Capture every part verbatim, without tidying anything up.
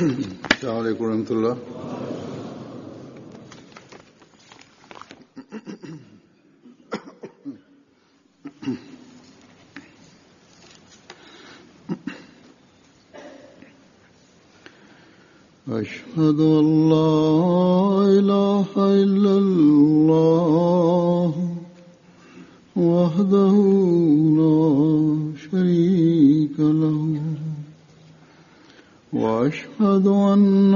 السلام علیکم ورحمۃ اللہ۔ أشهد أن لا إله إلا الله وحده لا شريك له وأشهد أن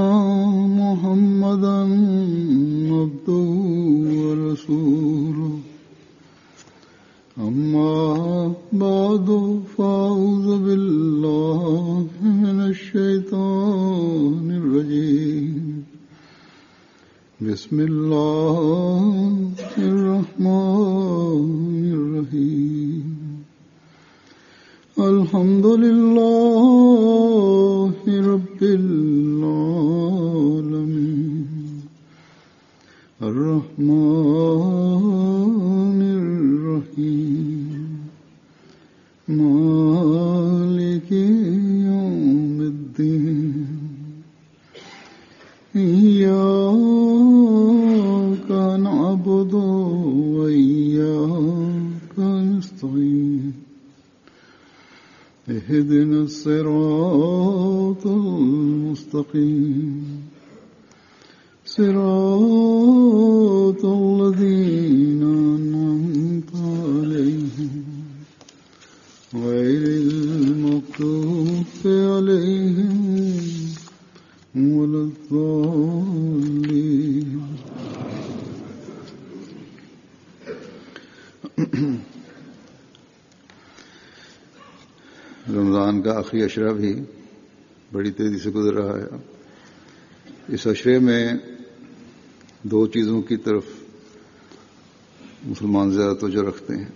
محمدا عبده ورسوله أما بعد فأعوذ بالله من الشيطان الرجيم بسم الله الرحمن الرحيم الحمد لله رب العالمين الرحمن الرحيم مالك يوم الدين إياك نعبد وإياك نستعين اهدنا الصراط المستقيم صراط الذين أنعمت عليهم غير المغضوب عليهم ولا الضالين۔ رمضان کا آخری عشرہ بھی بڑی تیزی سے گزر رہا ہے۔ اس عشرے میں دو چیزوں کی طرف مسلمان زیادہ توجہ رکھتے ہیں۔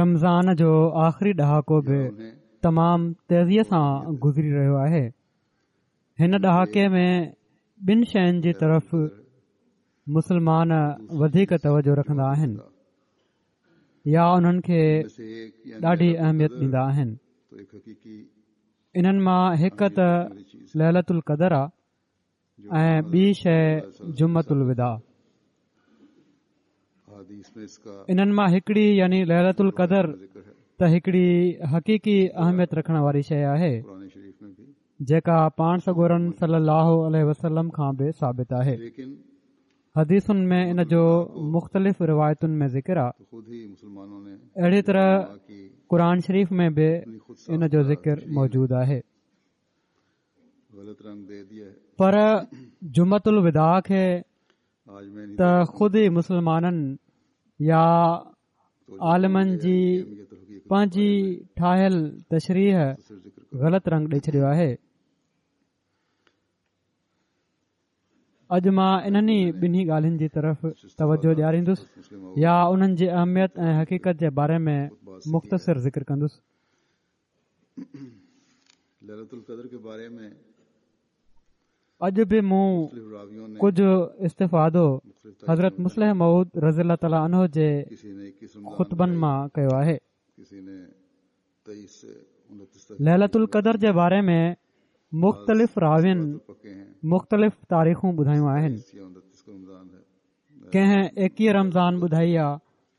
رمضان جو آخری ڏهاڪو به تمام تيزيءَ سان گذري رهيو آهي۔ هن ڏهاڪي ۾ ٻن شين جي طرف مسلمان وڌيڪ توجه رکندا آهن يا انهن کي ڏاڍي اهميت ڏيندا آهن۔ انهن مان هڪ ته ليلة القدر آهي ۽ ٻي شيء جمعة الوداع۔ انهن مان هڪڙي يعني ليلة القدر ته هڪڙي حقيقي اهميت رکڻ واري شيء آهي جيڪا پاڻ سڳورن صلي الله عليه وسلم کان به ثابت آهي۔ حديثن ۾ ان جو مختلف روايتن ۾ ذڪر آهي۔ اهڙي طرح قرآن شريف ۾ به ان جو ذڪر موجود آهي۔ پر جمعة الوداع کي ته خود ئي مسلمانن يا عالمن جي پنهنجي ٺاهيل تشريح غلط رنگ ڏئي ڇڏيو آهي۔ اڄ مان انهن ئي ٻنهي ڳالهين جي طرف توجه ڏياريندس يا انهن جي اهميت ۽ حقيقت جي باري ۾ مختصر ذڪر ڪندس۔ اڄ به مون ڪجهه استفادو حضرت مصلح موعود رضي الله تعاليٰ عنه جي خطبن مان ڪيو آهي۔ ليلة القدر جي باري ۾ مختلف راوين مختلف تاريخون ٻڌايون آهن۔ ڪنهن ايڪويهه رمضان ٻڌائي آهي،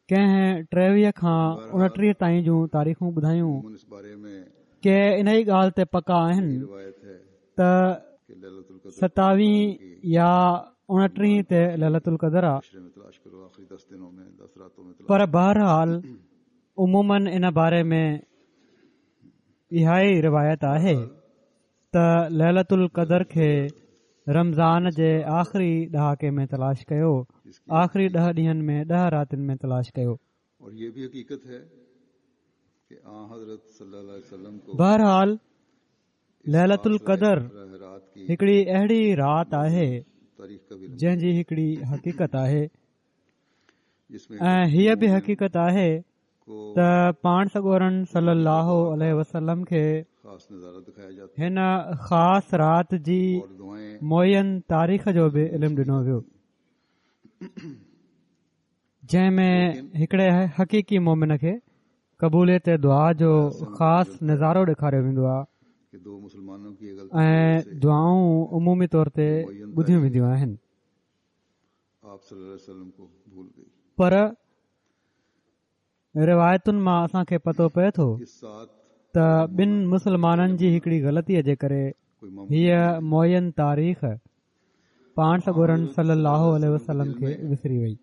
ڪنهن ٽيويهه کان اڻٽيهه تائين جون تاريخون ٻڌايون۔ ڪي ان ئي ڳالهه تي پڪا آهن ته ستاويهه يا اڻٽيهه تي ليلة القدر آهي، پر بهرحال عموماً ان باري ۾ اها ئي روايت آهي ته ليلة القدر کي رمضان جي آخري ڏهاڪي ۾ تلاش ڪيو، آخري ڏهه ڏينهن ۾ ڏهه راتن ۾ تلاش ڪيو۔ بهرحال ليلة القدر هڪڙي اهڙي رات آهي جنهن جي هڪڙي حقيقت آهي ۽ هيءَ به حقيقت آهي ته پاڻ سڳورن صلي الله عليه وسلم کي هن خاص رات جي معين تاريخ جو به علم ڏنو ويو، جنهن ۾ هڪڙي حقيقي مومن کي قبوليت دعا جو خاص نظارو ڏيکاريو ويندو آهي۔ ۽ دعائون عمومي طور تي ٻڌيون وينديون آهن. پر روايتن مان اسان کي پتو پئي ٿو ته ٻن مسلمانن جي هڪڙي غلطيءَ جي ڪري هيءَ معين تاريخ پاڻ سڳورن صلي الله عليه وسلم کي وسري وئي.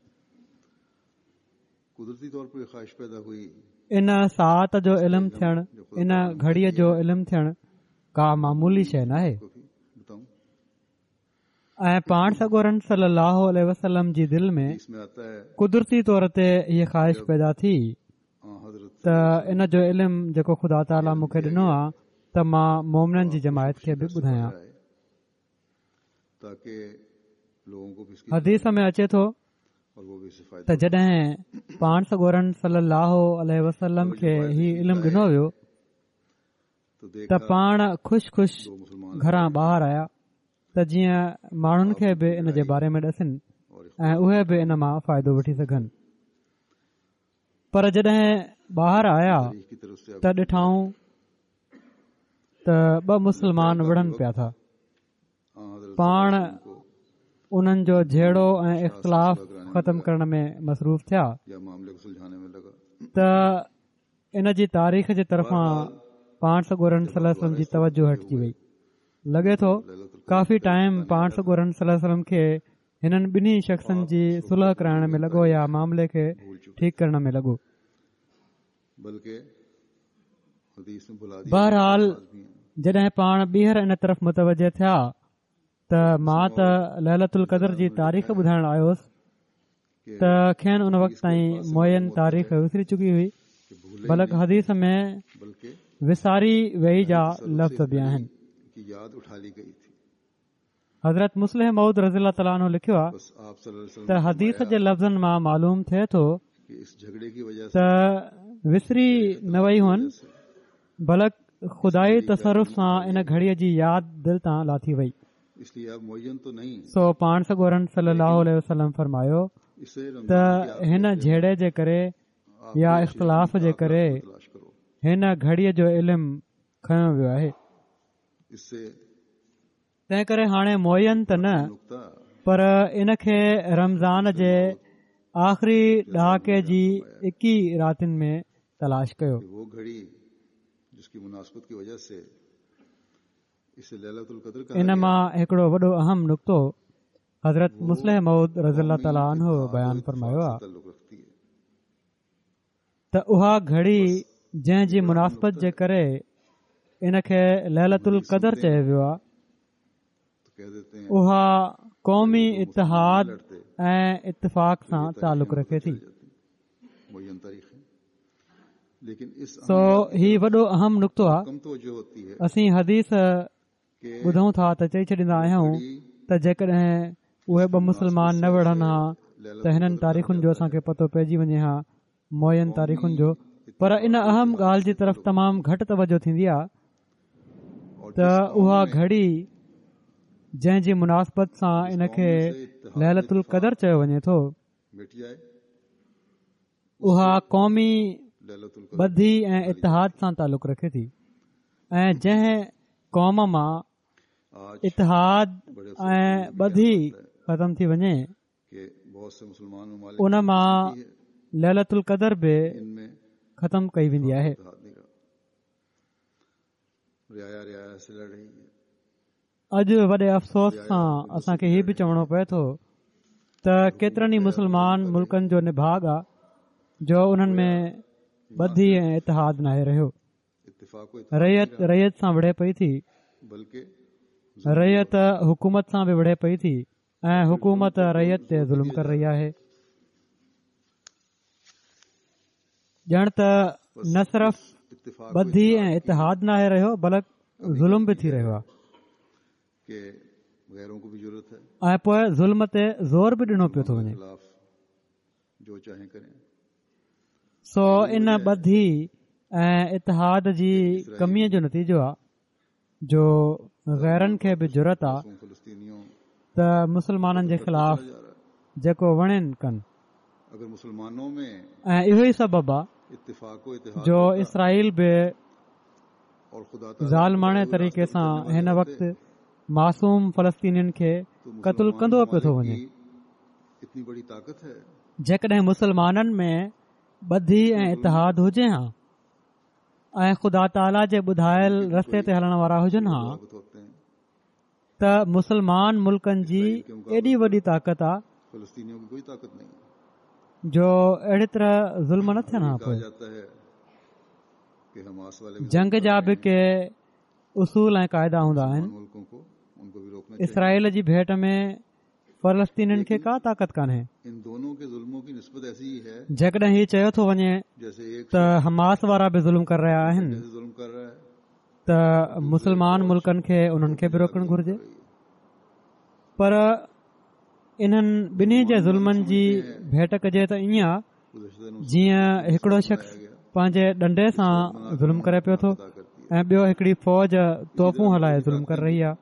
ان ساعت جو علم ٿيڻ، ان گهڙيءَ جو علم ٿيڻ ڪا معمولي شيءِ ناهي ۽ پاڻ سڳورن صلي الله عليه وسلم جي دل ۾ قدرتي طور تي هيءَ خواهش پيدا ٿي ته ان جو علم جيڪو خدا تعاليٰ مون کي ڏنو آهي ته مان مومنن جي جماعت کي به ٻڌايان. حديث ۾ اچي ٿو ته جڏهن پاڻ سڳورن صلي الله عليه وسلم کي هي علم ڏنو ويو ته پاڻ خوش خوش گهران ٻاهر آيا ته جيئن ماڻهن کي به ان جي باري ۾ ڏسن ۽ اهي به ان مان فائدو وٺي سگهن. پر جڏهن ٻاهر آيا ته ڏٺائون ته ٻه مسلمان وڙهن پيا ٿا. پاڻ انهن جو جهيڙو ۽ اختلاف ختم ڪرڻ ۾ مصروف ٿيا ته ان جي تاريخ جي طرفان پاڻ سڳورن صلي الله عليه وسلم جي توجه هٽجي وئي. لڳي ٿو ڪافي ٽائيم پاڻ سڳورن صلي الله عليه وسلم کي هنن ٻنهي شخصن جي صلح ڪرائڻ ۾ لڳو يا معاملي کي ٺيڪ ڪرڻ ۾ لڳو. بهرحال جڏهن پاڻ ٻيهر ان طرف متوجه ٿيا ته مان ته ليلة القدر جي تاريخ ٻڌائڻ آيو هوس ته کين ان وقت تائين معين تاريخ وسري چڪي هئي، بلڪ حديث ۾ وساري وئي جا لفظ به آهن. حضرت مصلح موعود رضي الله تعاليٰ عنه لکيو آهي ته حديث جي لفظن مان معلوم ٿئي ٿو ته وسري نه وئي هئن، بلڪ خدائي تصرف سان ان گهڙيءَ جي ياد دل تان لاٿي وئي. سو پاڻ سڳورن صلي الله عليه وسلم فرمايو ته هن جهيڙي جي ڪري يا اختلاف جي ڪري هن گهڙيءَ جو علم کنيو ويو آهي، تنهن ڪري هاڻي معين ته نه پر ان کي رمضان جي آخري ڏهاڪي جي ايڪويهه راتين ۾ تلاش ڪيو. ان مان هڪڙو وڏو اهم نقطو حضرت مصلح موعود رضي الله تعاليٰ عنه بيان فرمايو آهي ته اها گهڙي جنهن جي مناسبت جي ڪري ان کي ليلة القدر چيو ويو آهي، اها قومي اتحاد ۽ اتفاق سان تعلق رکي ٿي. سو هي وڏو اهم نقطو آهي. اسين حديث ٻڌون ٿا ته چئي ڇڏيندا آهيون ته جيڪڏهن اهي ٻه مسلمان نه وڙهن ها ته هنن تاريخن جو اسان کي پتو پئجي وڃي ها، معين تاريخن جو. پر ان اهم ڳالهه جي طرف تمام گهٽ توجه ٿيندي آهي ته اها گهڙي جنهن جي مناسبت سان ان کي ليلة القدر چيو وڃي ٿو، اها قومي ٻڌي ۽ اتحاد سان تعلق رکي ٿي ۽ جنهن قوم مان اتحاد ۽ ٻڌي ختم ٿي وڃي ان مان ليلة القدر به ختم ڪئي ويندي آهي. اڄ وڏي افسوس سان اسان کي هي به چوڻو پئي ٿو ته ڪيترن ئي مسلمان ملڪن جو نڀاڳ آهي جو انهن ۾ ٻڌي ۽ اتحاد ناهي رهيو. رعيت رعيت سان وڙهي پئي ٿي، رعيت حڪومت سان به وڙهي پئي ٿي ۽ حڪومت رعيت تي ظلم ڪري رهي آهي. ڄڻ ته نه صرف ٻڌي ۽ اتحاد ناهي رهيو بلڪ ظلم به ٿي رهيو آهي ۽ پوءِ ظلم تي زور به ڏنو پيو ٿو وڃي. سو ان ٻڌي ۽ اتحاد جي ڪميءَ جو نتيجو آهي جو غيرن کي به جرئت آهي ته مسلمانن جي خلاف جيڪو وڻين ڪن، ۽ اهو ئي سبب آهي جو اسرائيل به ظالماڻي طريقي سان هن وقت معصوم فلسطينين کي قتل ڪندو پيو ٿو وڃي. جيڪڏهن مسلمانن ۾ ٻڌي ۽ اتحاد هجي ها ۽ خدا تعاليٰ جي ٻڌايل رستي تي هلڻ وارا هجن ها ته مسلمان ملڪن جي ايڏي وڏي طاقت آ جو اهڙي طرح ظلم نه ٿين ها. پوءِ جنگ جا به ڪي اصول ۽ قاعدا هوندا آهن. اسرائيل جي ڀيٽ ۾ فلسطينين کي ڪا طاقت ڪانهي. جيڪڏهن هي چيو ٿو وڃي ته حماس وارا به ظلم ڪري رهيا آهن ته مسلمان ملڪن کي انهن کي به روڪڻ گهرجي، پر انهن ٻنهي جي ظلمن جي ڀيٽ ڪجي ته ائين آهي جيئن هڪڙو شخص پنهنجي ڏنڊي سان ظلم ڪري پيو ٿو ۽ ٻيو هڪڙي فوج توفون هلائي ظلم ڪري رهي آهي.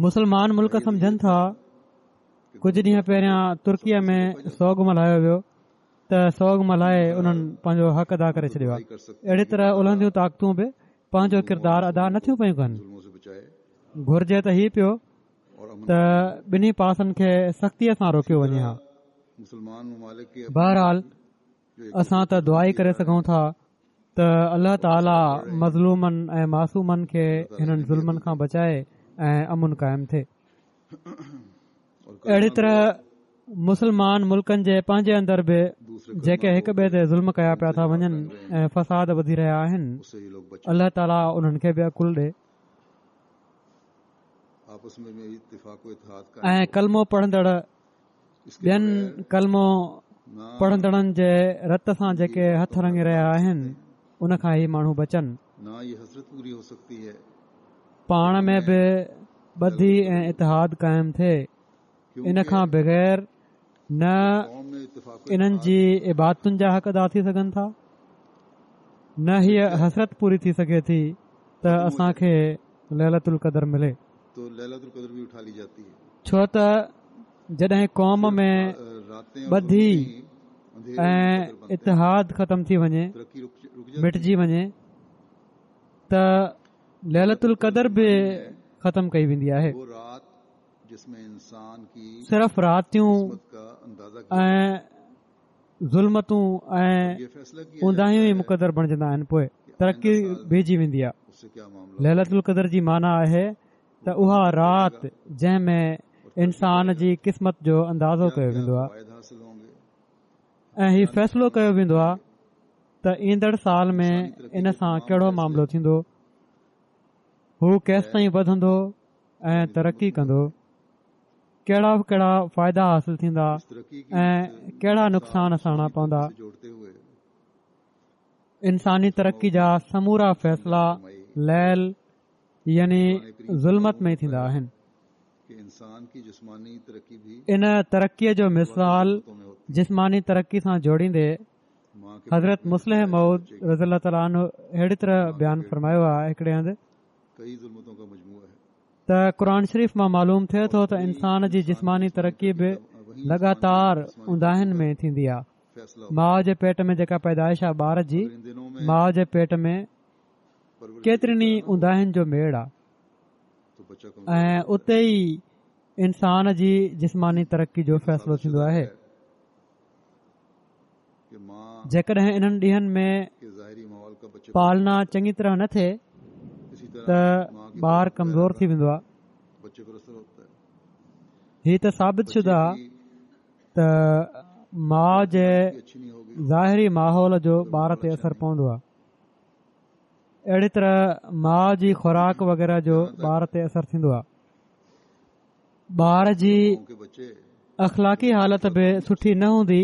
مسلمان ملڪ سمجهن ٿا. ڪجهه ڏينهن پهريان ترڪيءَ ۾ سوڳ ملهايو ويو ته سوڳ ملهائي انهن پنهنجو حق ادا ڪري ڇڏيو آهي. اهڙي طرح الهنديون طاقتون به پنهنجو ڪردار ادا نٿيون پيون ڪن. گهرجي ته هي پيو ته ٻنهي پاسن کي سختيءَ سان روڪيو وڃي ها. بهرحال اسان ته دعا ئي ڪري سگهون ٿا ته الله تعاليٰ مظلومن ۽ معصومن کي هنن ظلمن کان بچائي ۽ امن قائم ٿئي. اهڙي طرح مسلمان ملڪن جي پنهنجي اندر به جيڪي هڪ ٻئي تي ظلم ڪيا پيا ٿا وڃن ۽ فساد وڌي رهيا آهن، الله تعاليٰ انهن کي به عقل ڏي ۽ ڪلمو پڙهندڙ ٻين ڪلمو پڙهندڙن جي رت سان جيڪي هٿ رڱي رهيا آهن ان کان هي ماڻهو بچن. پاڻ ۾ به ٻڌي ۽ اتحاد قائم ٿئي. ان کان بغير نه انهن جي عبادتن جا حق ادا ٿي سگهن ٿا، نه هيءَ حسرت پوري ٿي سگهي ٿي ته اسان کي ليلة القدر ملي. ڇو ته جڏهن قوم ۾ ٻڌي ۽ اتحاد ختم ٿي وڃي، مٽجي وڃي، ته ليلة القدر به ختم ڪئي ويندي آهي. صرف راتيون ۽ ظلمتون ۽ اونداهيون ئي مقدر بڻجندا آهن، پوءِ ترقي بيهجي ويندي آهي. ليلة القدر جي معنيٰ آهي ته اها رات جنهن ۾ انسان جي قسمت جو اندازو ڪيو ويندو آهي ۽ هي فيصلو ڪيو ويندو آهي ته ايندڙ سال ۾ ان سان ڪهڙو معاملو ٿيندو، هو ڪيستائين وڌندو ۽ ترقي ڪندو، ڪهڙا ڪهڙا فائدا حاصل ٿيندا ۽ ڪهڙا نقصان سهڻا پوندا. انساني ترقي جا سمورا فيصلا ليل يعني ظلمت ۾ ٿيندا آهن. ان ترقيءَ جو مثال جسماني ترقي سان جوڙيندي حضرت مصلح موعود رضي الله تعاليٰ عنه اهڙي طرح بيان فرمايو آهي هڪڙي هنڌ ته قرآن شريف مان معلوم ٿئي ٿو ته انسان جي جسماني ترقي به لڳاتار اونداهين ۾ ٿيندي آهي. ماءُ جي پيٽ ۾ جيڪا پيدائش آهي ٻار جي، ماءُ جي پيٽ ۾ ڪيترين ئي اونداهين جو ميڙ آهي ۽ اتي ئي انسان جي جسماني ترقي جو فيصلو ٿيندو آهي. جيڪڏهن انهن ڏينهن ۾ پالنا چڱي طرح نه ٿئي ته ٻار ڪمزور ٿي ويندو آهي. هي ته ثابت شده آهي ته ماءُ جي ظاهري ماحول جو ٻار تي اثر پوندو آهي. اهڙي طرح ماءُ جي خوراڪ وغيره جو ٻار تي اثر ٿيندو آهي. ٻار جي اخلاقي حالت به سٺي نه هوندي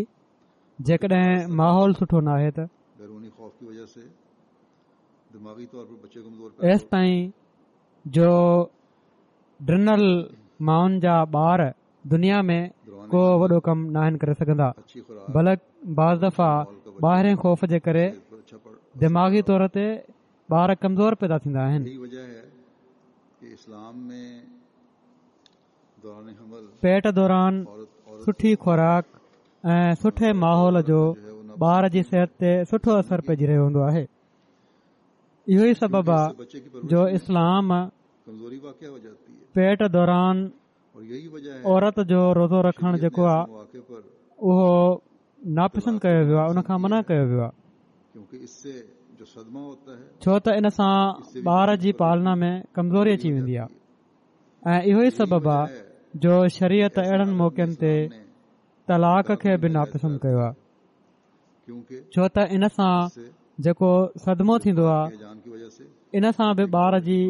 جيڪڏهن ماحول سٺو نه آهي ته. ايستائين جو ڊنل مائن جا ٻار دنيا ۾ ڪو وڏو ڪم ناهن ڪري سگهندا، بلڪ بعض دفعا ٻاهرين خوف جي ڪري دماغي طور تي ٻار ڪمزور پيدا ٿيندا آهن. پيٽ دوران سٺي خوراڪ ۽ سٺي ماحول جو ٻار جي صحت تي سٺو اثر پئجي رهيو هوندو آهي. اهو ئي سبب آهي جو اسلام پيٽ دوران عورت جو روزو رکڻ جيڪو آهي اهو ناپسند ڪيو ويو آهي، ان کان منع ڪيو ويو آهي، ڇو ته ان سان ٻار جي پالنا ۾ ڪمزوري اچي ويندي آهي. ۽ اهو ئي سبب آهي جو شريعت اهڙن موقعن تي طلاق کي به ناپسند ڪيو آهي، ڇو ته ان سان جيڪو صدمو ٿيندو آهي ان سان به ٻار جي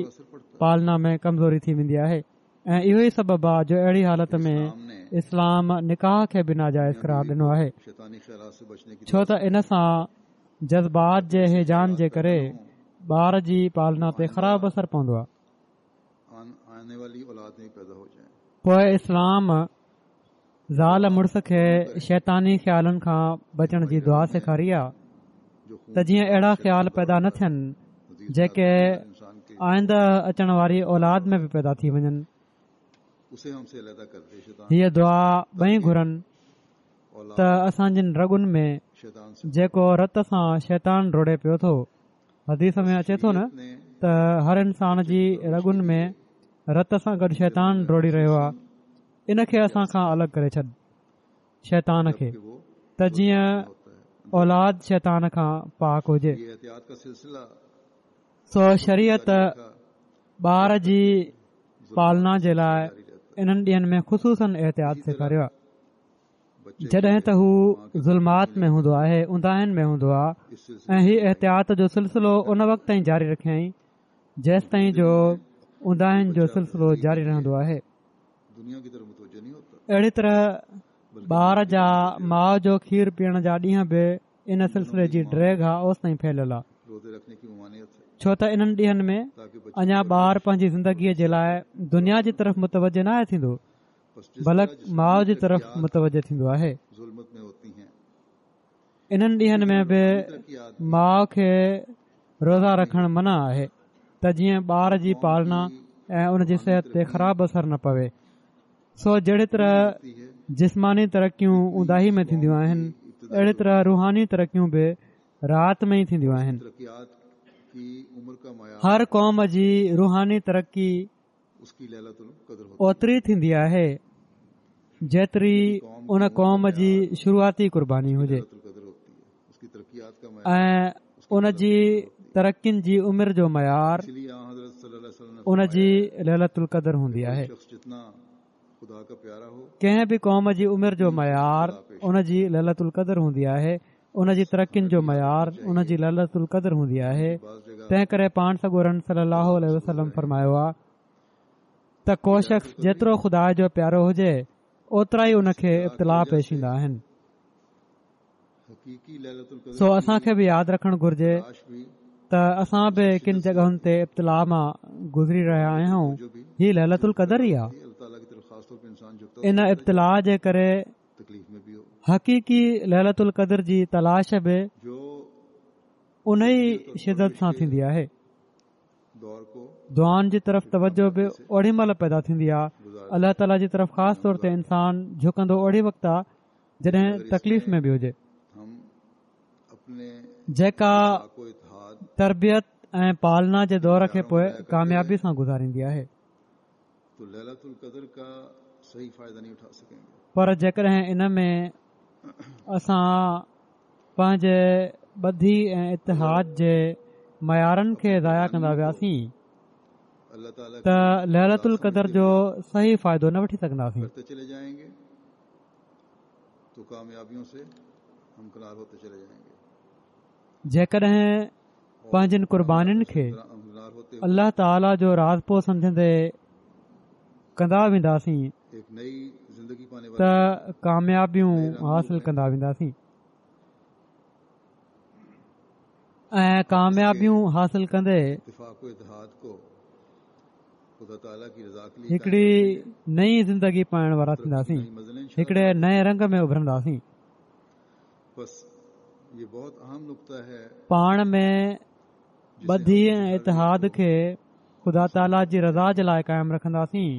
پالنا ۾ ڪمزوري ٿي ويندي آهي. ۽ اهو ئي سبب آهي جو اهڙي حالت ۾ اسلام نڪاح کي به ناجائز قرار ڏنو آهي، ڇو ته ان سان جذبات جي هيجان جي ڪري ٻار جي پالنا تي خراب اثر پوندو آهي. پوءِ اسلام زال مڙس کي شيطاني خيالن کان بچڻ جي دعا سيکاري آهي ته جيئن اهڙا خيال پيدا نه ٿين جيڪي آئنده اچڻ واري اولاد ۾ به پيدا ٿي وڃن. هيءَ دعا ٻئي گهرن ته اسان جن رڳن ۾ جيڪو رت سان شيطان ڊوڙي پيو ٿو، حديث ۾ اچي ٿو نه ته هر انسان جي رڳن ۾ رت سان گڏ شيطان ڊوڙي رهيو آهي، ان کي اسان کان الڳ ڪري ڇڏ شيطان کي، ته جيئن اولاد شيطان کان پاڪ هجي. سو شريعت ٻار جي پالنا جي لاءِ انهن ڏينهن ۾ خصوصن احتياط سيکاريو آهي. جڏهن ته هو ظلمات ۾ هوندو آهي، اونداهين ۾ هوندو آهي، ۽ هي احتياط جو سلسلو ان وقت تائين جاري رکيائين جيستائين جو اونداهين جو سلسلو جاري رهندو آهي. اهڙي طرح ٻار جا ماءُ جو کير پيئڻ جا ڏينهن به ان سلسلي جي ڊيگهه آهي اوستائين ڦهليل آهي، ڇو ته انهن ڏينهن ۾ اڃا ٻار پنهنجي زندگيءَ جي لاءِ دنيا جي طرف متوجه نه آهي ٿيندو، بلڪ ماءُ جي طرف متوجه ٿيندو آهي. انهن ڏينهن ۾ به ماءُ کي روزا رکڻ منع آهي ته جيئن ٻار جي پالنا ۽ ان جي صحت تي خراب اثر نه پوي. سو جهڙي طرح جسماني ترقيون اونداهي ۾ ٿينديون آهن، اهڙي طرح روحاني ترقيون به رات ۾ ئي ٿينديون آهن. هر قوم جي روحاني ترقي اوتري ٿيندي آهي جيتري ان قوم جي شروعاتي قرباني هجي ۽ ان جي ترقين جي عمر جو معيار ان جي ليلة القدر هوندي آهي. ڪنهن به قوم جي عمر جو معيار ان جي ليلة القدر هوندي آهي، ان جي ترقين جو معيار ان جي ليلة القدر هوندي آهي. تنهن ڪري پاڻ سڳورن صلي الله عليه وسلم فرمايو آهي ته ڪو شخص جيترو خدا جو پيارو هجي اوترا ئي ان کي ابتلا پيش ايندا آهن. سو اسان کي به ياد رکڻ گهرجي ته اسان به ڪن جڳهن تي ابتلا مان گذري رهيا آهيون. هي ليلة القدر ئي آهي. ان ابتلا جي ڪري حقيقي ليلة القدر جي تلاش به ان ئي شدت سان ٿيندي آهي. دعائن جي طرف توجه به اوڏي مهل پيدا ٿيندي آهي. الله تعاليٰ جي طرف خاص طور تي انسان جهڪندو اوڏي وقت آهي جڏهن تڪليف ۾ به هجي. جيڪا تربيت ۽ پالنا جي دور کي پوءِ ڪاميابي سان گذاريندي آهي. پر جيڪڏهن ان ۾ اسان پنهنجي ٻڌي ۽ اتحاد جي معيارن کي ضايع ڪندا وياسين ته ليلة القدر جو صحيح فائدو نه وٺي سگهنداسين. جيڪڏهن پنهنجن قربانين کي الله تعاليٰ جو راضپو سمجهندي ڪندا وينداسين ته ڪاميابيون حاصل ڪندا وينداسين ۽ ڪاميابيون حاصل ڪندي هڪڙي نئين زندگي پائڻ وارا ٿينداسين، هڪڙي نئين رنگ ۾ اڀرنداسين. پاڻ ۾ ٻڌي ۽ اتحاد کي خدا تعاليٰ جي رضا جي لاءِ قائم رکنداسين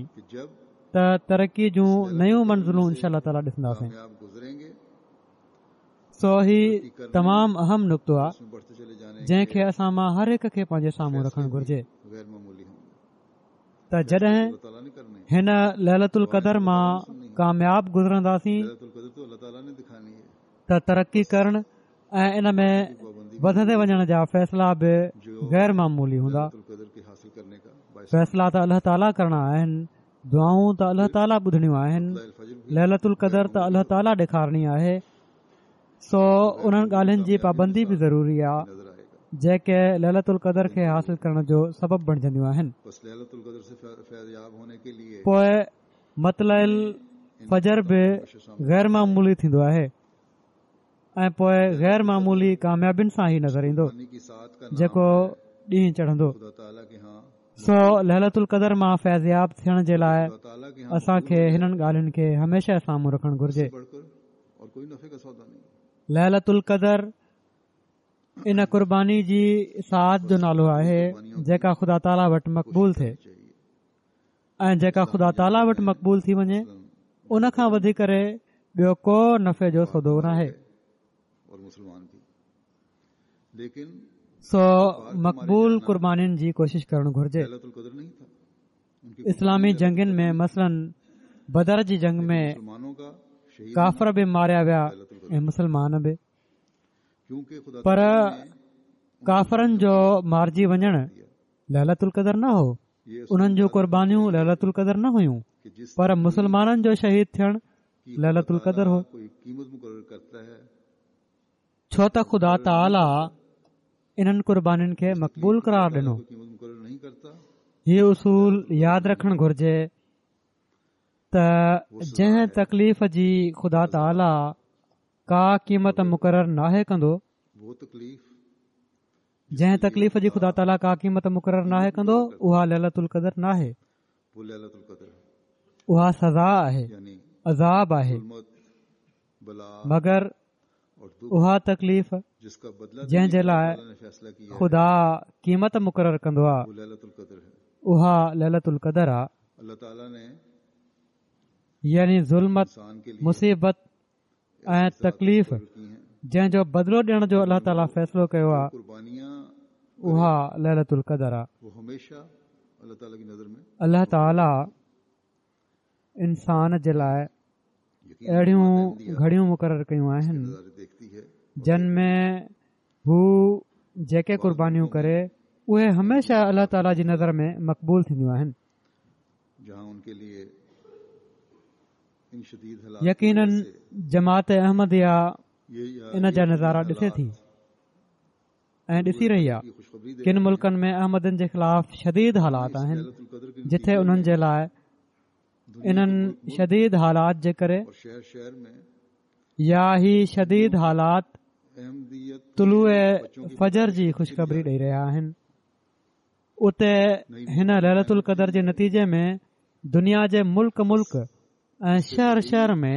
ته ترقي جون نيون منزلون انشاء الله تعاليٰ ڏسنداسين. سو هي تمام اهم نقطو آهي جنهن کي اسان مان هر هڪ کي پنهنجي سامهون رکڻ گهرجي ته جڏهن هن ليلة القدر مان ڪامياب گذرنداسين ته ترقي ڪرڻ ۽ ان ۾ وڌندي وڃڻ جا فيصلا به غير معمولي هوندا. فيصلا ته الله تعاليٰ ڪرڻا آهن، دعائون ته الله تعاليٰ ٻڌڻيون آهن، ليلة القدر ته الله تعاليٰ ڏيکارڻي آهي. سو انهن ڳالهين جي پابندي به ضروري آهي جيڪي ليلة القدر کي حاصل ڪرڻ جو سبب بڻجنديون آهن. پوءِ مطلع الفجر به غير معمولي ٿيندو آهي ۽ پوءِ غير معمولي ڪاميابين سان ئي نظر ايندو جيڪو ڏينهن چڙهندو. سو ليلة القدر مان فيضياب ٿيڻ جي لاءِ اسان کي هنن ڳالهين کي هميشه سامهون رکڻ گهرجي. ليلة القدر ان قرباني جي ساعت جو نالو آهي جيڪا خدا تعاليٰ وٽ مقبول ٿئي ۽ جيڪا خدا تعاليٰ وٽ مقبول ٿي وڃي ان کان وڌي ڪري ٻيو ڪو نفعي جو سودو ناهي. سو مقبول قربانين جي ڪوشش ڪرڻ گهرجي. اسلامي جنگين ۾ مثلاً بدر جي جنگ ۾ ڪافر به ماريا ويا ۽ مسلمان به، پر ڪافرن جو مارجي وڃڻ ليلة القدر نه هو، انهن جون قربانيون ليلة القدر نه هيون، پر مسلمانن جو شهيد ٿيڻ ليلة القدر هو. ڇو ته خدا تعاليٰ انهن قربانين کي مقبول قرار ڏنو. هي اصول ياد رکڻ گهرجي ته جنهن تڪليف جي خدا تعاليٰ ڪا قيمت مقرر ناهي ڪندو، جنهن تڪليف جي خدا تعاليٰ ڪا قيمت مقرر ناهي ڪندو اها ليلة القدر ناهي، اها سزا آهي، عذاب آهي. مگر اها تڪليف جنهن جي لاءِ خدا قيمت مقرر ڪندو آهي اها ليلة القدر آهي، يعني ظلمت، مصيبت ۽ تڪليف جنهن جو بدلو ڏيڻ جو الله تعاليٰ فيصلو ڪيو آهي اها ليلة القدر آهي. الله تعاليٰ انسان جي لاءِ اهڙيون گهڙيون مقرر ڪيون آهن جن ۾ هو جيڪي قربانيون ڪري اهي هميشه الله تعاليٰ جي نظر ۾ مقبول ٿينديون آهن. يقيناً جماعت احمديه ان جا نظارا ڏسي ٿي ۽ ڏسي رهي آهي. ڪن ملڪن ۾ احمدين جي خلاف شديد حالات آهن جتي انهن جي لاءِ انهن شديد حالات جي ڪري يا هي شديد حالات طلوع فجر جي خوشخبري ڏئي رهيا آهن. اتي هن ليلة القدر جي نتيجي ۾ دنيا جي ملڪ ملڪ ۽ شهر شهر ۾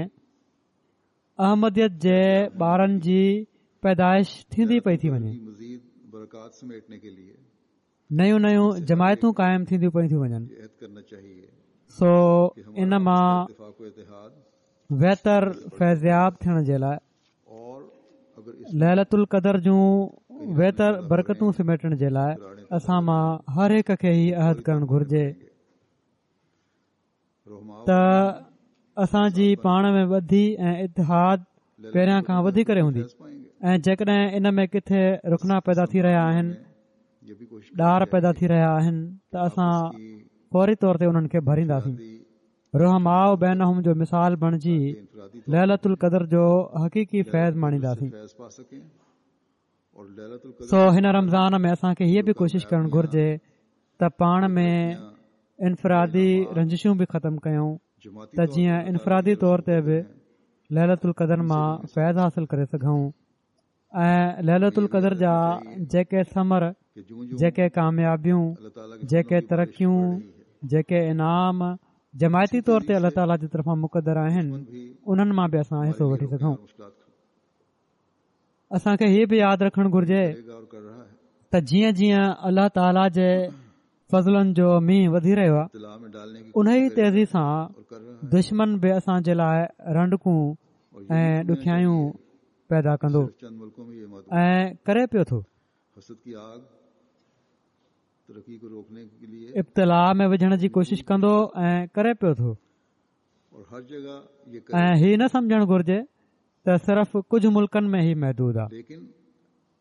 احمديت جي ٻارن جي پيدائش ٿيندي پئي ٿي وڃي، نيون نيون جماعتون قائم ٿينديون پيون ٿيون وڃن. سو ان مان ويتر فيضياب ٿيڻ جي لاءِ ليلة القدر جون ويتر برڪتون سميٽڻ جي لاءِ اسان مان هر هڪ کي هي عهد ڪرڻ گهرجي ته اسان جي پاڻ ۾ ٻڌي ۽ اتحاد پهريان کان وڌي ڪري هوندي ۽ جيڪڏهن ان ۾ ڪٿي رخنا پيدا ٿي رهيا آهن، ڏار پيدا ٿي رهيا آهن ته اسان فوري طور تي انهن کي ڀرينداسين. رحماء بينهم جو مثال بڻجي ليلة القدر جو حقيقي فيض ماڻينداسين. سو هن رمضان ۾ اسان کي هيءَ به ڪوشش ڪرڻ گهرجي ته پاڻ ۾ انفرادي رنجشون به ختم ڪيون ته جيئن انفرادي طور تي به ليلة القدر مان فيض حاصل ڪري سگهون ۽ ليلة القدر جا جيڪي ثمر، جيڪي ڪاميابيون، جيڪي ترقيون، جيڪي انعام جماعتي طور تي الله تعاليٰ جي طرفان مقدر آهن انهن مان به اسان حصو وٺي سگهون. اسان کي هيءَ به ياد رکڻ گهرجي ته جيئن جيئن الله تعاليٰ جي فضلن جو مينهن وڌي رهيو آهي ان ئي تيزي سان دشمن به اسان جي لاءِ رنڊڪون ۽ ڏکيائيون پيدا ڪندو ۽ ڪري پيو ٿو. ابتلا ۾ وجهڻ جي ڪوشش ڪندو ۽ ڪري پيو ٿو. ۽ هي نه سمجهڻ گهرجي ته صرف ڪجهه ملڪن ۾ هي محدود آهي.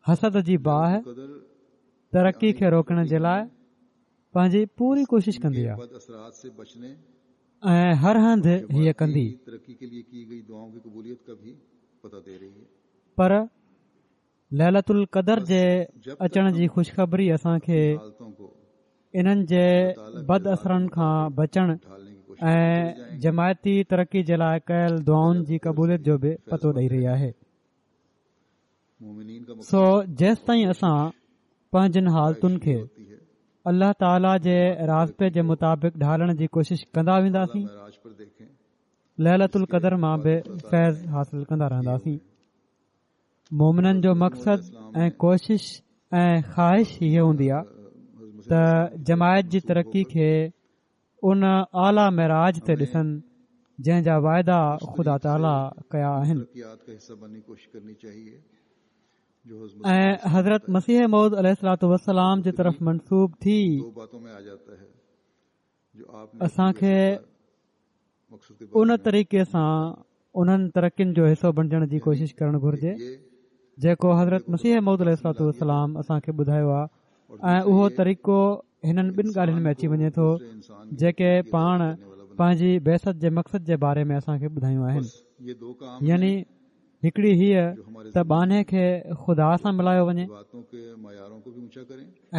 حسد جي باهه ترقي کي روڪڻ جي لاءِ پنهنجي پوري ڪوشش ڪندي آهي ۽ هر هنڌ هيءَ ڪندي، پر ليلة القدر جي اچڻ جي خوشخبري اسان کي انهن جي بد اثرن کان بچڻ ۽ جماعتي ترقي جي لاءِ ڪيل دعائن جي قبوليت جو به پتو ڏئي رهي آهي. سو جيستائين اسان پنهنجن حالتن کي الله تعاليٰ جي راضپي جي مطابق ڍالڻ جي ڪوشش ڪندا وينداسين، ليلة القدر مان به فيض حاصل ڪندا رهنداسين. مومنن جو مقصد ۽ ڪوشش ۽ خواهش هيءَ هوندي آهي ته جماعت جي ترقي کي ان اعليٰ معراج تي ڏسن جنهن جا واعدا خدا تعاليٰ ڪيا آهن. ۽ حضرت مسيح موعود عليه الصلوة والسلام جي طرف منسوب ٿي اسان کي ان طريقي سان انهن ترقين جو حصو بڻجڻ جي ڪوشش ڪرڻ گهرجي جيڪو حضرت مسيح موعود عليه الصلوة والسلام اسان کي ٻڌايو آهي. ۽ اهو طريقو هنن ٻن ڳالهين ۾ اچي وڃي ٿو جيڪي پاڻ پنهنجي بعثت جي مقصد جي باري ۾ اسان کي ٻڌايون آهن. يعني هڪڙي هيءَ ته ٻانهي کي خدا سان ملايو وڃي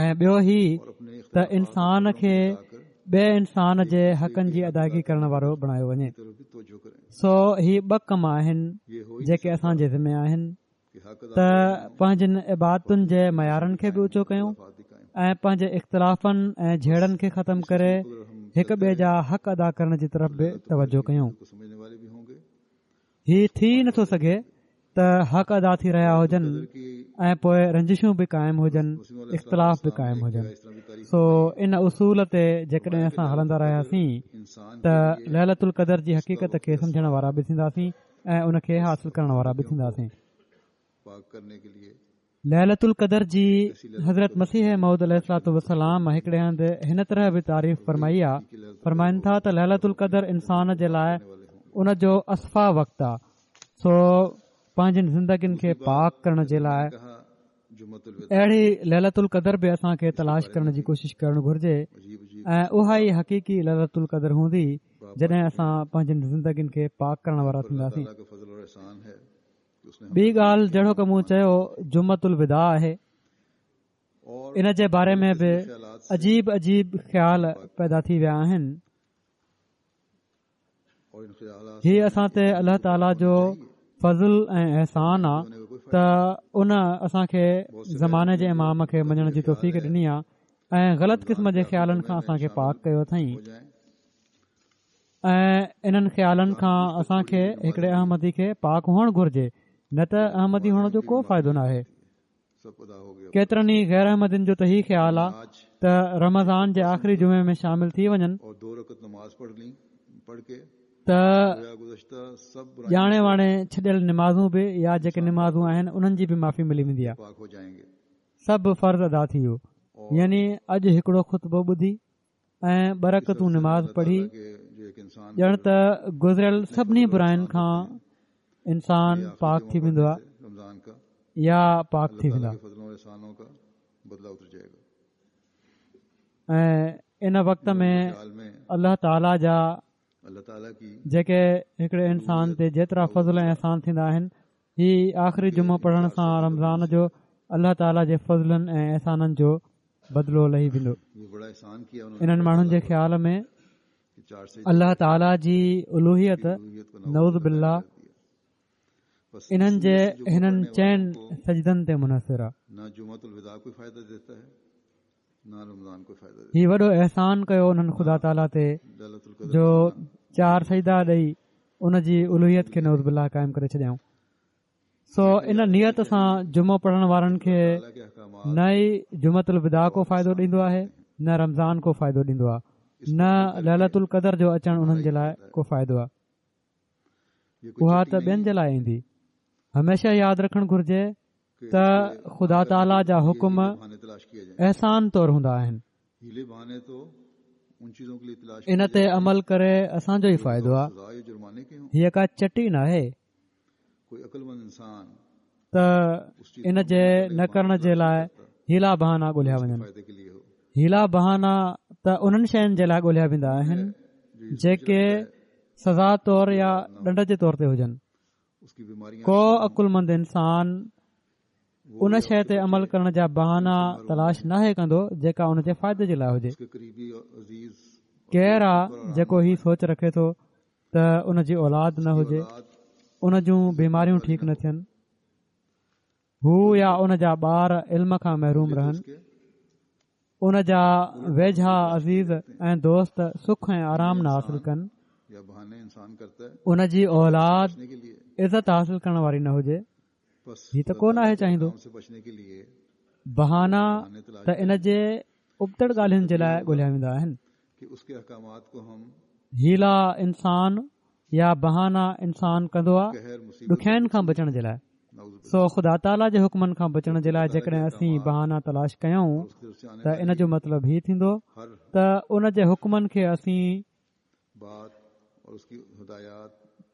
۽ ٻيو هي ته انسان کي ٻئي انسان جي حقن جي ادائگي ڪرڻ وارو بڻايو وڃي. سو هي ٻه ڪم آهن جيڪي اسان جي ذمي آهن ته پنهنجن عبادتن جي معيارن کي به اوچو ڪيون ۽ پنهنجي اختلافن ۽ جهيڙن کي ختم ڪري هڪ ٻئي جا حق ادا ڪرڻ جي طرف به توجه ڪيون. هي ٿي نٿو سگهي ته حق ادا ٿي رهيا هجن ۽ پوءِ رنجشون به قائم هجن، اختلاف به قائم هجن. سو ان اصول تي جيڪڏهن اسان هلندا رهياسين ته ليلة القدر جي حقيقت کي سمجهڻ وارا به ٿينداسين ۽ ان کي حاصل ڪرڻ وارا به ٿينداسين. ليلة القدر جي حضرت مسيح موعود عليه الصلوة والسلام هڪڙي هنڌ هن طرح به تعريف فرمائي آهي. فرمائن ٿا ته ليلة القدر انسان جي لاءِ ان جو اصفيٰ وقت آهي. سو پنهنجن زندگين کي پاڪ ڪرڻ جي لاءِ اهڙي ليلة القدر به اسان کي تلاش ڪرڻ جي ڪوشش ڪرڻ گهرجي ۽ اها ئي حقيقي ليلة القدر هوندي جڏهن اسان پنهنجن زندگين کي پاڪ ڪرڻ وارا ٿينداسين. ٻي ڳالهه جهڙوڪ مون چيو جمعة الوداع آهي. ان جي باري ۾ به عجيب عجيب خيال پيدا ٿي ويا آهن. هي اسان تي الله تعاليٰ جو فضل ۽ احسان آهي ته ان اسان کي زماني جي امام کي مڃڻ جي توفيق ڏني آهي ۽ غلط قسم جي خيالن کان اسان کي پاڪ ڪيو اٿئين ۽ انهن خيالن کان اسان کي هڪڙي احمدي کي پاڪ هئڻ گهرجي، نه ته احمدي هئڻ جو ڪو فائدو نه آهي. ڪيترن ئي غير احمدين جو ته هي خيال آهي ته رمضان جي آخري جمعي ۾ شامل ٿي وڃن ته ڄاڻي واڻي ڇڏيل نمازون به يا جيڪي نمازون آهن انهن جي به معافي ملي ويندي آهي، سڀ فرض ادا ٿي ويو. يعني اڄ هڪڙو خطبو ٻڌي ۽ ٻه رڪعتون نماز پڙهي ڄڻ ته گذريل سڀني براين کان انسان پاڪ ٿي ويندو آهي يا پاڪ ٿي ويندا. ۽ ان وقت ۾ الله تعاليٰ جا جيڪي هڪڙي انسان تي جيترا فضل ۽ احسان ٿيندا آهن، هي آخري جمعو پڙهڻ سان رمضان جو الله تعاليٰ جي فضلن ۽ احسانن جو بدلو لهي ويندو. انهن ماڻهن جي خيال ۾ الله تعاليٰ جي الوهيت نعوذ بالله انهن جي هنن چئن سجدن تي منحصر آهي. هي وڏو احسان ڪيو انهن خدا تعاليٰ تي جو چار سجدا ڏئي ان جي الوهيت کي نعوذ بالله قائم ڪري ڇڏيائون. سو ان نيت سان جمعو پڙهڻ وارن کي نه ئي جمعة الوداع ڪو فائدو ڏيندو آهي، نه رمضان ڪو فائدو ڏيندو آهي، نه ليلة القدر جو اچڻ انهن جي لاءِ ڪو فائدو آهي. اها ته ٻين جي لاءِ ايندي. هميشه ياد رکڻ گهرجي ته خدا تعاليٰ جا حڪم احسان طور هوندا آهن. ان تي عمل ڪري اسان جو ئي فائدو آهي. هيءَ ڪا چٽي ناهي ته ان جي نه ڪرڻ جي لاءِ حيلا بهانا ڳولهيا وڃن. حيلا بهانا ته انهن شين جي لاءِ ڳولهيا ويندا آهن جيڪي سزا طور يا ڏنڊ جي طور تي هجن. ڪو عقلمند انسان ان شيءِ تي عمل ڪرڻ جا بهانا تلاش ناهي ڪندو جيڪا ان جي فائدي جي لاءِ هجي. ڪير آهي جيڪو هي سوچ رکي ٿو ته ان جي اولاد نه هجي، ان جون بيماريون ٺيڪ نه ٿين، هو يا ان جا ٻار علم کان محروم رهن، ان جا ويجها عزيز ۽ دوست سک ۽ آرام نه حاصل ڪن، ان جي اولاد عزت حاصل ڪرڻ واري نه هجي؟ هي ته ڪو ناهي چاهيندو. بهانا ته ان جي ابتڙ ڳالهين جي لاءِ ڳولهيا ويندا آهن. حيلا انسان يا بهانا انسان ڪندو آهي ڏکيائين کان بچڻ جي لاءِ. سو خدا تعاليٰ جي حڪمن کان بچڻ جي لاءِ جيڪڏهن اسين بهانا تلاش ڪيون ته ان جو مطلب هي ٿيندو ته ان جي حڪمن کي اسين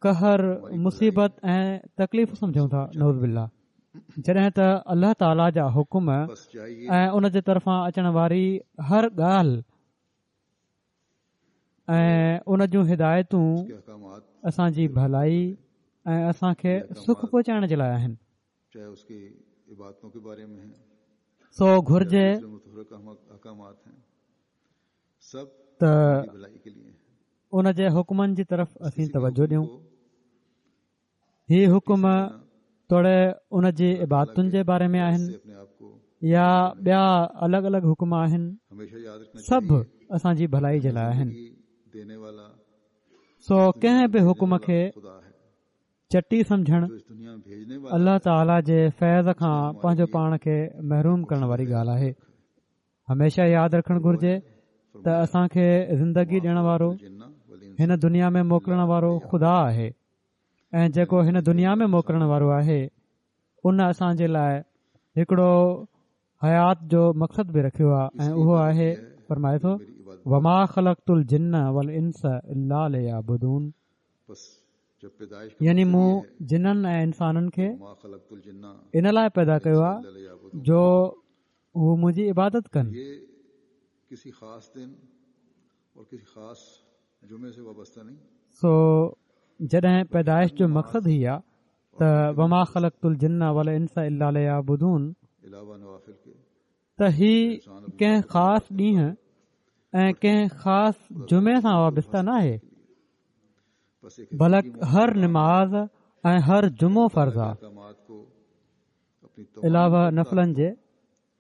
قهر، مصيبت ۽ تڪليف سمجهون ٿا، نعوذ بالله. جڏهن ته الله تعاليٰ جا حڪم ۽ ان جي طرفان اچڻ واري هر ڳالهه ۽ ان جون هدايتون اسان جي ڀلائي ۽ اسان کي سک پهچائڻ جي لاءِ آهن. سو گهرجي ته ان جي حڪمن جي طرف اسين توجه ڏيون. هي حڪم توڙي ان جي عبادتن جي باري ۾ آهن يا ٻيا الڳ الڳ حڪم آهن، سڀ اسان جي ڀلائي جي لاءِ آهن. سو ڪنهن به حڪم کي چٽي سمجهڻ الله تعاليٰ جي فيض کان پنهنجو پاڻ کي محروم ڪرڻ واري ڳالهه آهي. هميشه ياد رکڻ گهرجي ته اسان کي زندگي ڏيڻ وارو، هن دنيا ۾ موڪلڻ وارو خدا آهي، ۽ جيڪو هن دنيا ۾ موڪلڻ وارو آهي ان اسان جي لاءِ هڪڙو حيات جو مقصد به رکيو آهي، ۽ اهو آهي، فرمائي ٿو، وما خلقت الجن والانس الا ليعبدون، يعني مون جنن ۽ انسانن کي ان لاءِ پيدا ڪيو آهي جو هو منهنجي عبادت ڪن. سو جڏهن پيدائش جو مقصد هي آهي ته وما خلقت الجن والانس الا ليعبدون، ته هي ڪنهن خاص ڏينهن ۽ ڪنهن خاص جمعي سان وابسته نه آهي، بلڪ هر نماز ۽ هر جمعو فرض آهي، علاوه نفلن جي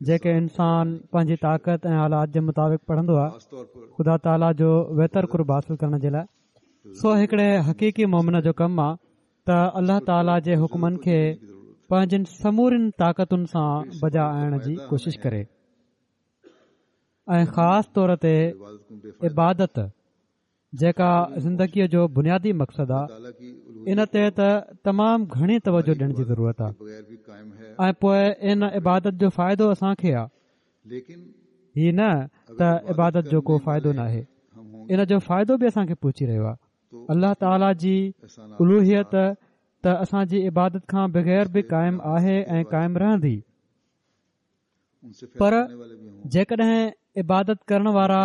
جيڪي انسان پنهنجي طاقت ۽ حالات جي مطابق پڙهندو آهي خدا تعاليٰ جو ويتر قرب حاصل ڪرڻ جي لاءِ. سو هڪڙي حقيقي مومن جو ڪم آهي ته الله تعاليٰ جي حڪمن کي پنهنجن سمورين طاقتن سان بجا آڻڻ جي ڪوشش ڪري، ۽ خاص طور تي عبادت جيڪا زندگيءَ جو بنيادي مقصد آهي، ان تي ته تمام گهڻي توجه ڏيڻ جي ضرورت آهي. ۽ پوءِ ان عبادت جو فائدو اسان کي آهي، هي نه ته عبادت جو ڪو فائدو نه آهي، ان جو فائدو به اسان کي پهچي رهيو آهي. الله تعاليٰ جي الوهيت ته اسان جي عبادت کان بغير به قائم آهي ۽ قائم رهندي، پر جيڪڏهن عبادت ڪرڻ وارا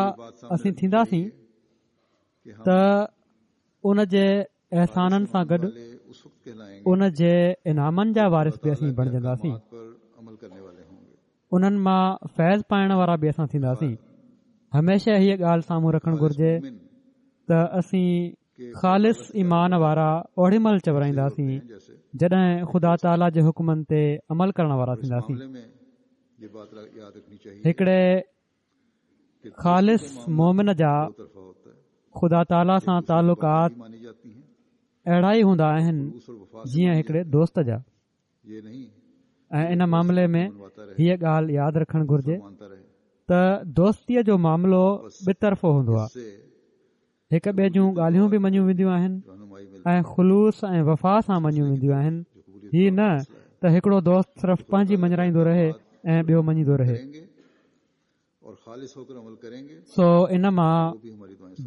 اسين ٿينداسين ته ان جي احسانن سان گڏ ان جي انعامن جا وارث به اسين بڻجنداسين، انهن مان فيض پائڻ وارا به اسان ٿينداسين. هميشه هيءَ ڳالهه سامهون رکڻ گهرجي ته اسين خالص ايمان وارا اوڏي مهل چورائينداسين جڏهن خدا تعاليٰ جي حڪمن تي عمل ڪرڻ وارا ٿينداسين. هڪڙي خالص مومن جا خدا تعاليٰ سان تعلقات اهڙا ئي هوندا آهن جيئن هڪڙي دوست جا. ۽ ان معاملي ۾ هيءَ ڳالهه ياد رکڻ گهرجي ته دوستيءَ جو معاملو ٻطرفو هوندو آهي، هڪ ٻئي جون ڳالهيون به مڃيون وينديون آهن ۽ خلوص ۽ وفا سان مڃيون وينديون آهن. هي نه ته هڪڙو دوست صرف پنهنجي مڃرائيندو رهي ۽ ٻيو مڃيندو رهي. سو ان مان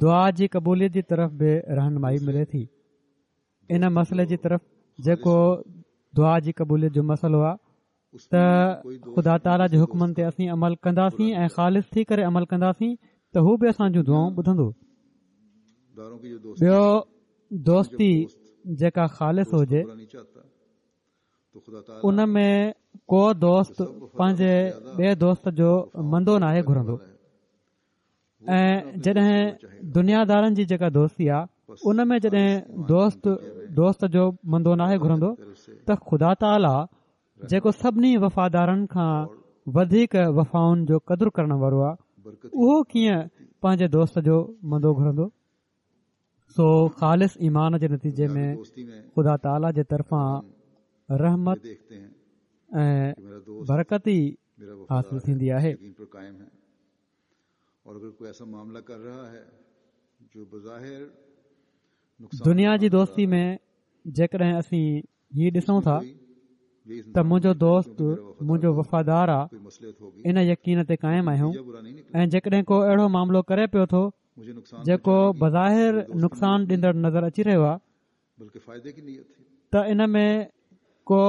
دعا جي قبوليت جي طرف به رهنمائي ملي ٿي. ان مسئلي جي طرف جيڪو دعا جي قبوليت جو مسئلو آهي ته خدا تعاليٰ جي حڪمن تي اسين عمل ڪنداسين ۽ خالص ٿي ڪري عمل ڪنداسين ته هو به اسان جون دعائون ٻڌندو. ٻيو دوستي جيڪا خالص هجي ان ۾ ڪو دوست پنهنجي ٻئي دوست جو مندو ناهي گهرندو. ۽ جڏهن دنيادارن جي جيڪا دوستي آهي ان ۾ جڏهن دوست دوست جو مندو ناهي گهرندو ته خدا تعاليٰ جيڪو سڀني وفادارن کان وڌيڪ وفائن جو قدر ڪرڻ وارو آهي اهو ڪيئن پنهنجي دوست جو مندو گهرندو؟ سو خالص ايمان جي نتيجي ۾ خدا تعاليٰ جي طرفان رحمت ۽ برڪت ئي حاصل ٿيندي آهي. دنيا جي دوستي ۾ جيڪڏهن اسين هي ڏسون ٿا ته منهنجو دوست منهنجو وفادار آ، ان يقين تي قائم آهيون، ۽ جيڪڏهن ڪو اهڙو معاملو ڪري پيو ٿو جيڪو بظاهر نقصان ڏيندڙ نظر اچي رهيو آهي ته ان ۾ ڪو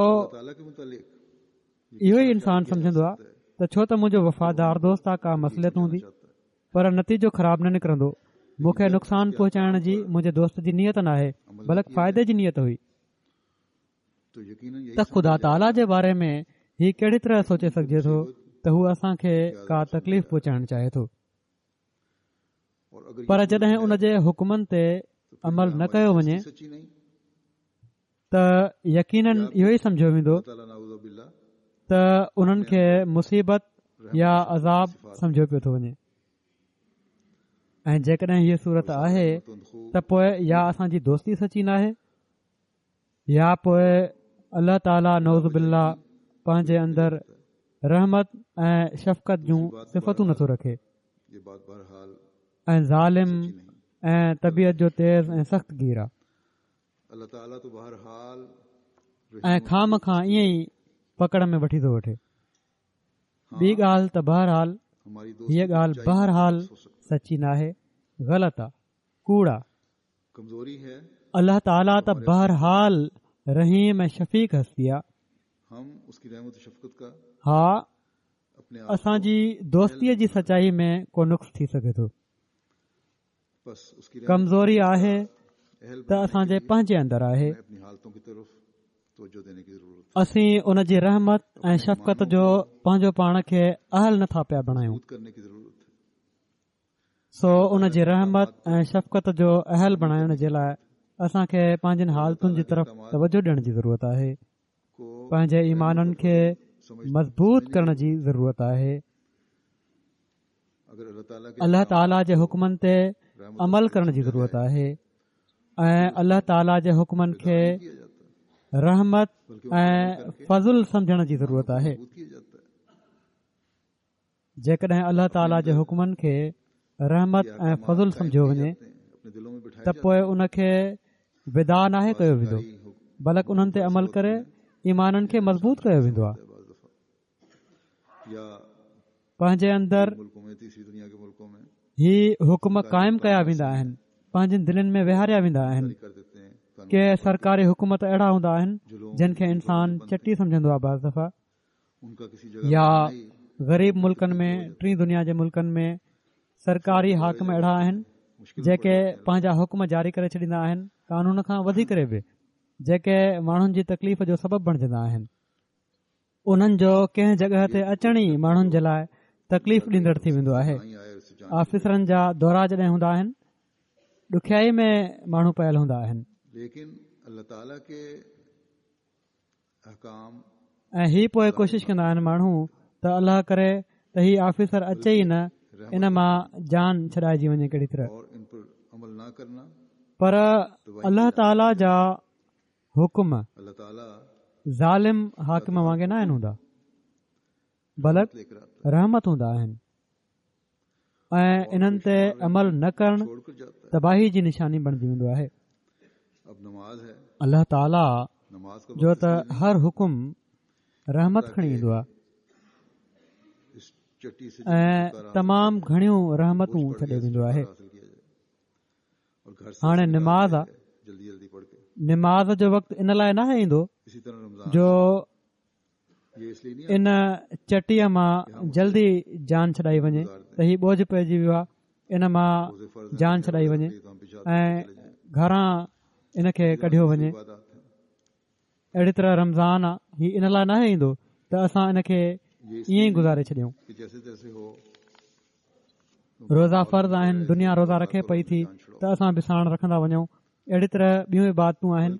اهو ئي انسان سمجهندو آهي ته ڇو ته منهنجو وفادار دوست آ، ڪا مصلحت هوندي، پر نتيجو خراب نه نڪرندو. مون کي نقصان پهچائڻ جي منهنجي دوست جي نيت ناهي، بلڪ فائدي جي نيت هئي. ته خدا تعاليٰ جي باري ۾ هي ڪهڙي طرح سوچي سگهجي ٿو ته هو اسان کي ڪا تڪليف پهچائڻ چاهي ٿو؟ پر جڏهن ان جي حڪمن تي عمل نه ڪيو وڃي ته يقينن اهو ئي سمجهيو ويندو ته انهن کي مصيبت يا عذاب سمجهيو پيو ٿو وڃي. ۽ جيڪڏهن هيء صورت آهي ته پوءِ يا اسان جي دوستي سچي ناهي يا پوءِ الله تعاليٰ نعوذ بالله پنهنجي اندر رحمت ۽ شفقت جون صفتون نٿو رکي ۽ ظالم ۽ طبيعت جو تيز ۽ سخت گير آهي ۽ خام کان ائين ئي پڪڙ ۾ وٺي ٿو وٺي. ٻي ڳالهه ته بهرحال هيءَ ڳالهه بهرحال سچي ناهي، غلط آهي، ڪوڙ آهي. الله تعاليٰ ته بهرحال رحيم ۽ شفيق هستي آهي. ها، اسان جي دوستيءَ جي سچائي ۾ ڪو نقص ٿي سگهي ٿو. ڪمزوري آهي ته اسان جي پنهنجي اندر آهي. اسين ان جي رحمت ۽ شفقت جو پنهنجو پاڻ کي اهل نٿا پيا بڻايون. سو ان جي رحمت ۽ شفقت جو اهل بڻائڻ جي لاءِ اسان کي پنهنجن حالتن جي طرف توجه ڏيڻ جي ضرورت آهي، پنهنجي ايمانن کي مضبوط ڪرڻ جي ضرورت آهي، الله تعاليٰ جي حڪمن تي عمل ڪرڻ جي ضرورت آهي ۽ الله تعاليٰ جي حڪمن کي رحمت ۽ فضل سمجهڻ جي ضرورت آهي. جيڪڏهن الله تعاليٰ جي حڪمن کي رحمت ۽ فضل سمجهيو وڃي ته پوءِ ان کي وداع ناهي ڪيو ويندو، بلڪ انهن تي عمل ڪري ايمانن کي مضبوط ڪيو ويندو آهي. پنهنجي اندر هي حڪم قائم ڪيا ويندا آهن، پنهنجن دلين ۾ ويهاريا ويندا آهن. ڪي سرڪاري حڪم ته اهڙا هوندا آهن جن کي انسان چٽي سمجهندو آهي بعض دفعا، يا غريب ملڪن ۾ ٽين دنيا جي ملڪن ۾ سرڪاري حاڪم اهڙا آهن جيڪي پنهنجا حڪم جاري ڪري ڇڏيندا آهن قانون کان وڌي ڪري به، جيڪي ماڻهن جي تڪليف جو سبب بڻجندا آهن. انهن جو ڪنهن جڳهه تي اچڻ ئي ماڻهن جي لاءِ تڪليف ڏيندڙ ٿي ويندو آهي. آفيسرن جا دورا جڏهن هوندا آهن ڏکيائي ۾ ماڻهو پيل هوندا آهن. ۽ هي پوءِ ڪوشش ڪندا آهن ماڻهو ته الله ڪري ته هي آفيسر اچي ئي نه، ان مان جان ڇڏائجي وڃي ڪهڙي طرح. پر الله تعاليٰ جا حڪم ظالم حاڪم وانگي نه آهن هوندا، بلڪ رحمت هوندا آهن ۽ انهن تي عمل نه ڪرڻ تباهي جي نشاني بڻجي ويندو آهي. الله تعاليٰ جو ته هر حڪم رحمت کڻي ايندو آهي ۽ تمام گهڻيون رحمتون ڇڏي ويندو آهي. هاڻي نماز آهي، نماز جو وقت ان لاءِ ناهي ايندو جو ان چٽيءَ مان جلدي جان ڇڏائي وڃي ته هي ٻوجهه پئجي ويو آهي، ان مان جان ڇڏائي وڃي ۽ گهران ان کي ڪڍيو وڃي. اهڙي طرح رمضان آهي، هي ان لاءِ ناهي ايندو ته اسان ان کي ائين ئي گذاري ڇڏيون. روزا فرض آهن، دنيا روزا رکي پئي ٿي ته اسان به ساڻ رکندا وڃون. اهڙي طرح ٻيون عبادتون آهن.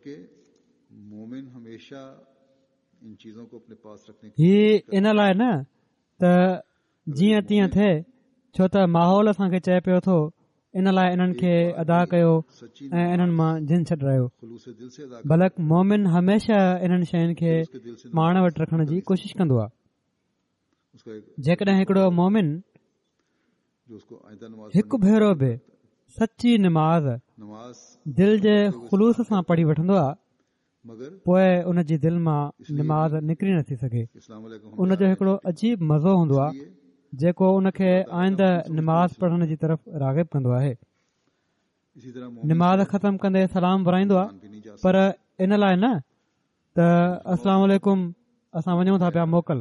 هي ان لاءِ نه ته جيئن تيئن ٿئي، ڇو ته ماحول اسان کي چئي پيو ٿو ان لاءِ انهن کي ادا ڪيو ۽ انهن مان جن ڇڏرايو، بلڪ مومن هميشه انهن شين کي پاڻ وٽ رکڻ جي ڪوشش ڪندو آهي. جيڪڏهن هڪڙو مومن هڪ ڀيرو به سچي نماز دل جي خلوص سان پڙهي وٺندو آهي، پوءِ ان جي دل مان نماز نڪري نٿي سگهي. ان جو هڪڙو عجيب مزو هوندو آهي جيڪو ان کي آئنده نماز پڙهڻ جي طرف راغب ڪندو آهي. نماز ختم ڪندي سلام ورائيندو آهي، پر ان لاءِ نه ته السلام عليڪم اسان وڃون ٿا پيا موڪل،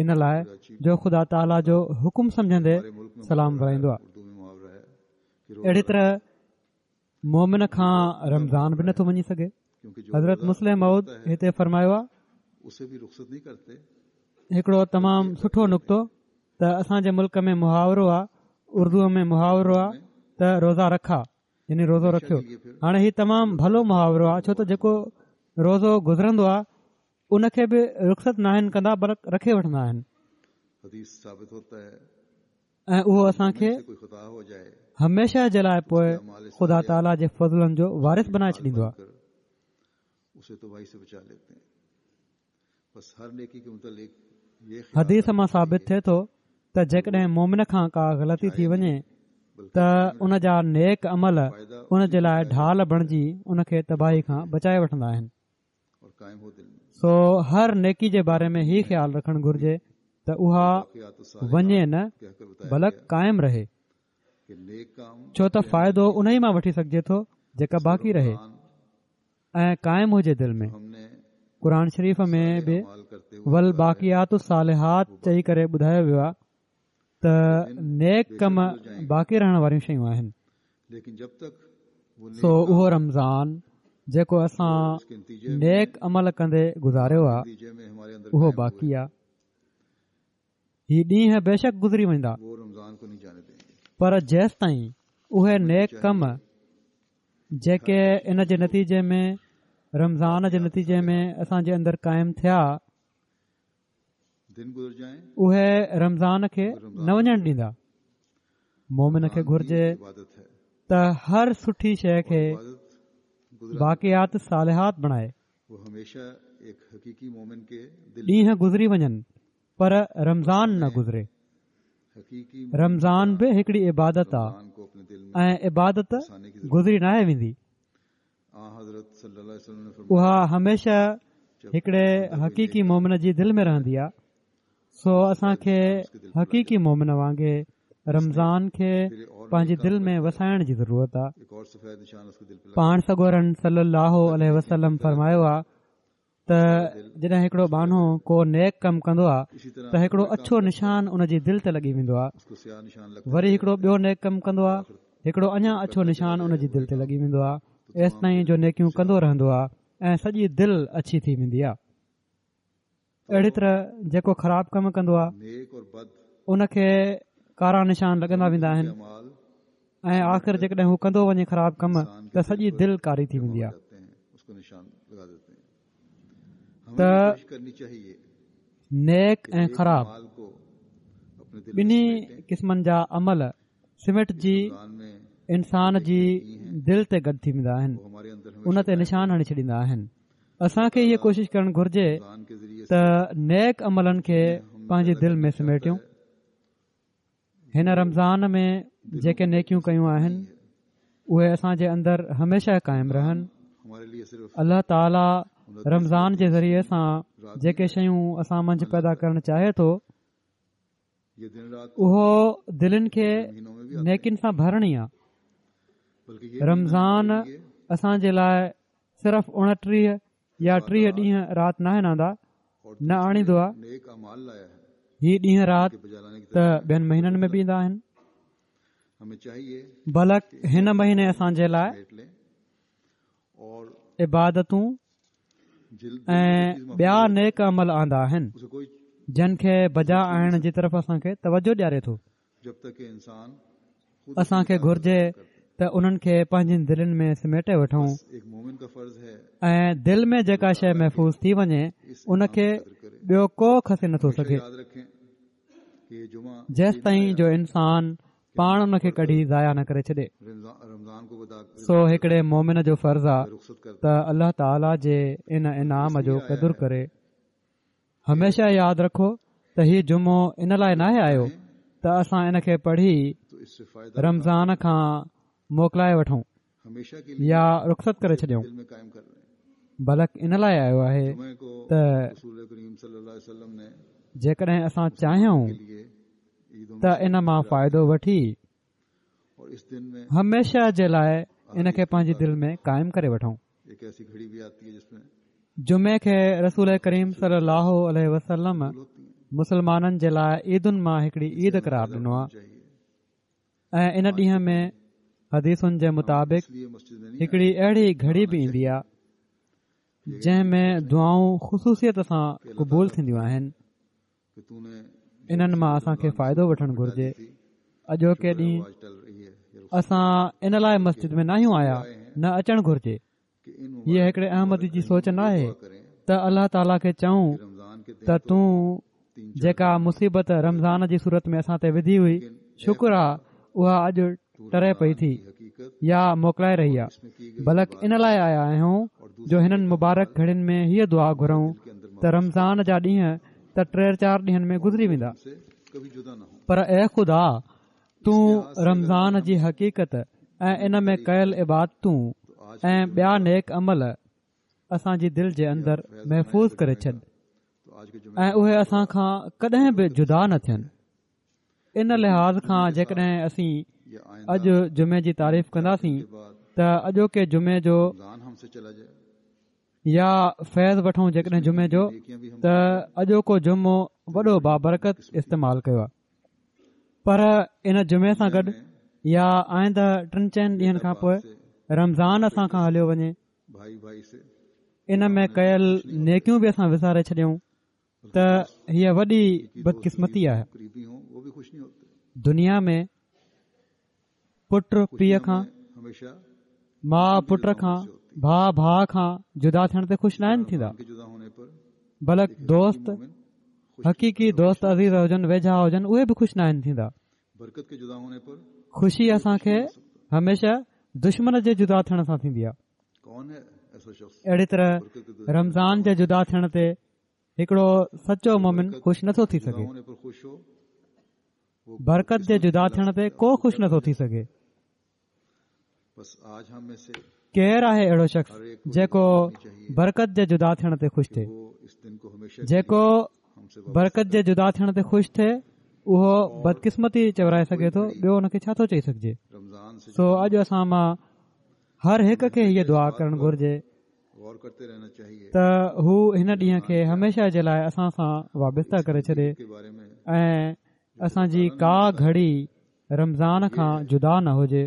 ان لاءِ جو خدا تعاليٰ جو حڪم سمجهندي سلام ورائيندو آهي. اهڙي طرح مومن کان رمضان به نٿو وڃي سگهي. حضرت مصلح موعود هتي فرمايو آهي هڪڙو تمام سٺو نقطو ته اسان جي ملڪ ۾ محاورو آهي، اردوءَ ۾ محاورو آهي ته روزا رکا، يعني روزو رکيو. هاڻي هي تمام ڀلو محاورو آهي، ڇو ته جيڪو روزو گذرندو آهي ان کي به رخصت ناهن ڪندا، بلڪ رکي وٺندا آهن، ۽ اهو اسان کي هميشه جي لاءِ پوءِ خدا تعاليٰ جي فضلن جو وارث بنائي ڇڏيندو آهي. حديث مان ثابت ٿئي ٿو ته جيڪڏهن مومن کان ڪا غلطي ٿي وڃي ته ان جا نيڪ عمل ان جي لاءِ ڍال بڻجي ان کي تباهي کان بچائي وٺندا آهن. سو هر نيڪي جي باري ۾ هي خيال رکڻ گهرجي ته اها وڃي نه بلڪ قائم رهي، ڇو ته فائدو ان ئي مان وٺي سگهجي ٿو جيڪا باقي رهي ۽ قائم هجي دل ۾. قرآن شريف ۾ به والباقيات الصالحات چئي ڪري ٻڌايو ويو آهي ته نيڪ ڪم باقي رهڻ واريون شيون آهن. سو اهو رمضان جيڪو اسان نيڪ عمل ڪندي گذاريو آهي اهو باقي آهي. هي ڏينهن بيشڪ گذري ويندا، پر جيستائين اهي نيڪ ڪم جيڪي ان جي نتيجي ۾ رمضان جي نتيجي ۾ اسان جي اندر قائم ٿيا، اهي رمضان کي نه وڃڻ ڏيندا. مومن کي گهرجي ته هر سٺي شيءِ کي باقيات صالحات بڻائي. ڏينهن گذري وڃن پر رمضان نه گذري. رمضان به هڪڙي عبادت آهي ۽ عبادت گذري ناهي ويندي، اها هميشه هڪڙي حقيقي مومن جي دل ۾ رهندي آهي. سو اسان کي حقيقي مومن وانگي رمضان کي پنهنجي دل ۾ وسائڻ جي ضرورت آهي. پاڻ سڳورن صلي الله عليه وسلم فرمايو آهي ته جڏهن هڪڙو ٻانهو ڪو نيڪ ڪم ڪندو آهي ته هڪڙو اڇو نشان ان جي دل تي لڳي ويندو آهي، وري هڪڙو ٻيو نيڪ ڪم ڪندو آهي، هڪڙو اڃا اڇو نشان ان جي دل تي لڳي ويندو آهي، ايستائين جو نيڪيون ڪندو رهندو آهي ۽ سڄي دل اڇي ٿي ويندي آهي. اهڙي طرح جيڪو خراب ڪم ڪندو آهي ان کي ڪارا نشان لڳندا ويندا آهن ۽ آخر جيڪڏهن هو ڪندو وڃي خراب ڪم ته سڄي دل ڪاري ٿي ويندي آهي. ته نيڪ ۽ خراب ٻنهي قسمن جا عمل سمٽجي انسان جي دل تي گڏ ٿي ويندا آهن، ان تي نشان هڻي ڇڏيندا آهن. اسان کي اها ڪوشش ڪرڻ گهرجي ته نيڪ عملن کي پنهنجي دل ۾ سميٽيون. هن رمضان ۾ جيڪي نيڪيون ڪيون آهن اهي اسان جي اندر هميشه قائم رهن. الله تعاليٰ رمضان جي ذريعي سان جيڪي شيون اسان منجهه پيدا ڪرڻ چاهي ٿو اهو دلين کي نيڪين سان ڀرڻ ئي آهي. رمضان اسان جي لاءِ صرف اڻٽيهه يا ٽيهه ڏينهن رات ناهن آندا، نه آڻيندو آهي. هي ڏينهن رات ته ٻين مهينن ۾ به ايندا آهن، بلڪ هن مهيني اسان جي لاءِ عبادتون ۽ ٻيا نيڪ عمل آندا آهن جن کي بجا آڻڻ جي طرف اسان کي توجه ڏياري ٿو. اسان کي گهرجي ته انهن کي پنهنجين دلين ۾ سميٽي وٺون ۽ دل ۾ جيڪا شيءِ محفوظ ٿي وڃي ان کي ٻيو ڪو کسي نٿو سگهي، جيستائين جو انسان پاڻ ان کي ڪڍي ضايع نه ڪري ڇڏي. سو هڪڙي مومن جو فرض آهي ته الله تعاليٰ جي ان انعام جو قدر ڪري. هميشه ياد رکو ته هي جمعو ان لاءِ ناهي آيو ته اسان ان کي پڙهي رمضان کان موڪلائي وٺون يا رخصت ڪري ڇڏيون، بلڪ ان لاءِ آيو آهي ته جيڪڏهن اسان چاهيون ته ان مان فائدو وٺي هميشه جي لاءِ ان کي پنهنجي دل ۾ قائم ڪري وٺون. جمعي کي رسول ڪريم صلي الله عليه وسلم مسلمانن جي لاءِ عيدن مان هڪڙي عيد قرار ڏنو آهي ۽ ان ڏينهن ۾ حديثن جي مطابق هڪڙي اهڙي گهڙي به ايندي آهي جنهن ۾ دعائون خصوصيت سان قبول ٿينديون آهن. انهن مان اسان کي فائدو وٺڻ گهرجي. اڄوڪي ڏينهن اسان ان لاءِ مسجد ۾ ناهيون آيا، نه اچڻ گهرجي. هيءَ هڪڙي احمدي جي سوچ ناهي ته الله تعاليٰ کي چئون ته تون جيڪا مصيبت رمضان جي صورت ۾ اسان تي وڌي هئي، شڪر آهي اها اڄ ٽري پئي ٿي يا موڪلائي رهي آهي، بلڪ ان لاءِ آيا آهيون جو هنن مبارڪ گهڙين ۾ هيءَ دعا گهرون ته رمضان جا ڏينهن ته ٽي چار ڏينهن ۾ گذري ويندا، پر اي خدا تون رمضان جي حقيقت ۽ ان ۾ ڪيل عبادتون ۽ ٻيا نيڪ عمل اسان جي دل جي اندر محفوظ ڪري ڇڏ ۽ اهي اسان کان ڪڏهن به جدا نه ٿين. ان لحاظ کان جيڪڏهن اسين اڄ جمعي جي تعريف ڪنداسين ته اڄوڪي جمعي جو يا فيض وٺون جيڪڏهن جمعي جو، ته اڄوڪو جمعو وڏو بابرڪت استعمال ڪيو آهي، پر ان جمعي سان گڏ يا آئنده ٽن چئن ڏينهن کان پوءِ رمضان اسان کان هليو وڃي، ان ۾ ڪيل نيڪيون به اسان وساري ڇڏيون ته هيءَ وڏي بدقسمتي آهي. دنيا ۾ پٽ پيءُ کان، ماءُ پٽ کان، ڀاءُ ڀاءُ کان جدا ٿيڻ تي خوش ناهن ٿيندا، بلڪ دوست حقيقي دوست عزيز هجن، ويجها هجن، اهي به خوش ناهن ٿيندا. خوشي اسان کي هميشه دشمن جي جدا ٿيڻ سان ٿيندي آهي. اهڙي طرح رمضان جي جدا ٿيڻ تي هڪڙو سچو مومن خوش نٿو ٿي سگهي. برڪت جي جدا ٿيڻ تي ڪو خوش نٿو ٿي سگهي. ڪير آهي اهڙو شخص جيڪو برڪت جي جدا ٿيڻ تي خوش ٿئي؟ جيڪو برڪت جي جدا ٿيڻ تي خوش ٿئي اهو بدقسمتي چورائي سگهي ٿو، ٻيو ان کي ڇا ٿو چئي سگهجي؟ سو اڄ اسان مان هر هڪ کي هيءَ دعا ڪرڻ گهرجي ته هو هن ڏينهن کي هميشه جي لاءِ اسان سان وابسته ڪري ڇڏي ۽ اسان جي ڪا گهڙي رمضان کان جدا نه هجي.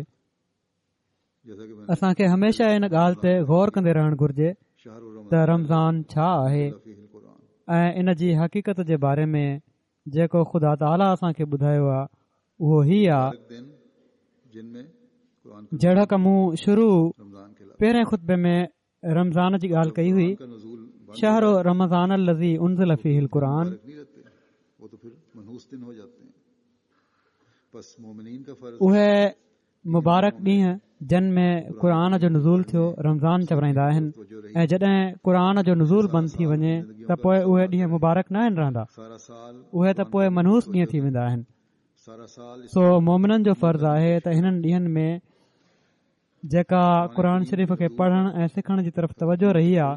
اسان کي هميشه ان ڳالهه تي غور ڪندي رهڻ گهرجي ته رمضان ڇا آهي ۽ ان جي حقيقت جي باري ۾ جيڪو خدا تعاليٰ اسان کي ٻڌايو آهي اهو هي آهي. جهڙوڪ مون شروع پهرين خطبي ۾ رمضان جي ڳالهه ڪئي هئي، شهر رمضان الذي انزل فيه القرآن، اهي مبارڪ ڏينهن جن ۾ قرآن جو نزول ٿيو رمضان چورائيندا آهن، ۽ جڏهن قرآن جو نزول بند ٿي وڃي ته پوءِ اهي ڏينهن مبارڪ نه آهن رهندا، اهي ته پوءِ منحوس ڏينهن ٿي ويندا آهن. سو مومنن جو فرض آهي ته هنن ڏينهن ۾ جيڪا قرآن شريف کي پڙهڻ ۽ سکڻ جي طرف توجه رهي آهي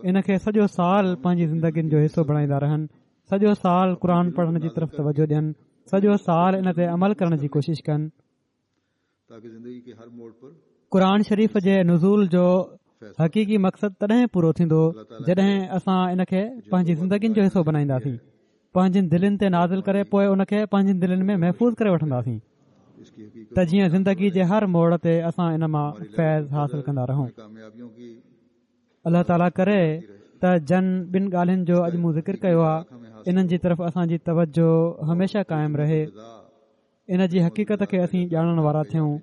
ان کي سڄو سال پنهنجي زندگين جو حصو بڻائيندا رهن، سڄو سال قرآن پڙهڻ جي طرف توجه ڏين، سڄو سال ان تي عمل ڪرڻ جي ڪوشش ڪن. قرآن شريف جي نزول جو حقيقي مقصد تڏهن پورو ٿيندو جڏهن اسان ان کي پنهنجي زندگين جو حصو بڻائينداسين، پنهنجين دلين تي نازل ڪري پوءِ ان کي پنهنجين دلين ۾ محفوظ ڪري وٺنداسين ته جيئن زندگي جي هر موڙ تي اسان ان مان فيض حاصل ڪندا رهون. الله تعاليٰ ڪري ته جن ٻن ڳالهين جو اڄ مون ذڪر ڪيو آهي انهن جي طرف اسان جي توجه هميشه قائم رهي، ان جي حقيقت کي اسين ڄاڻڻ وارا ٿيون.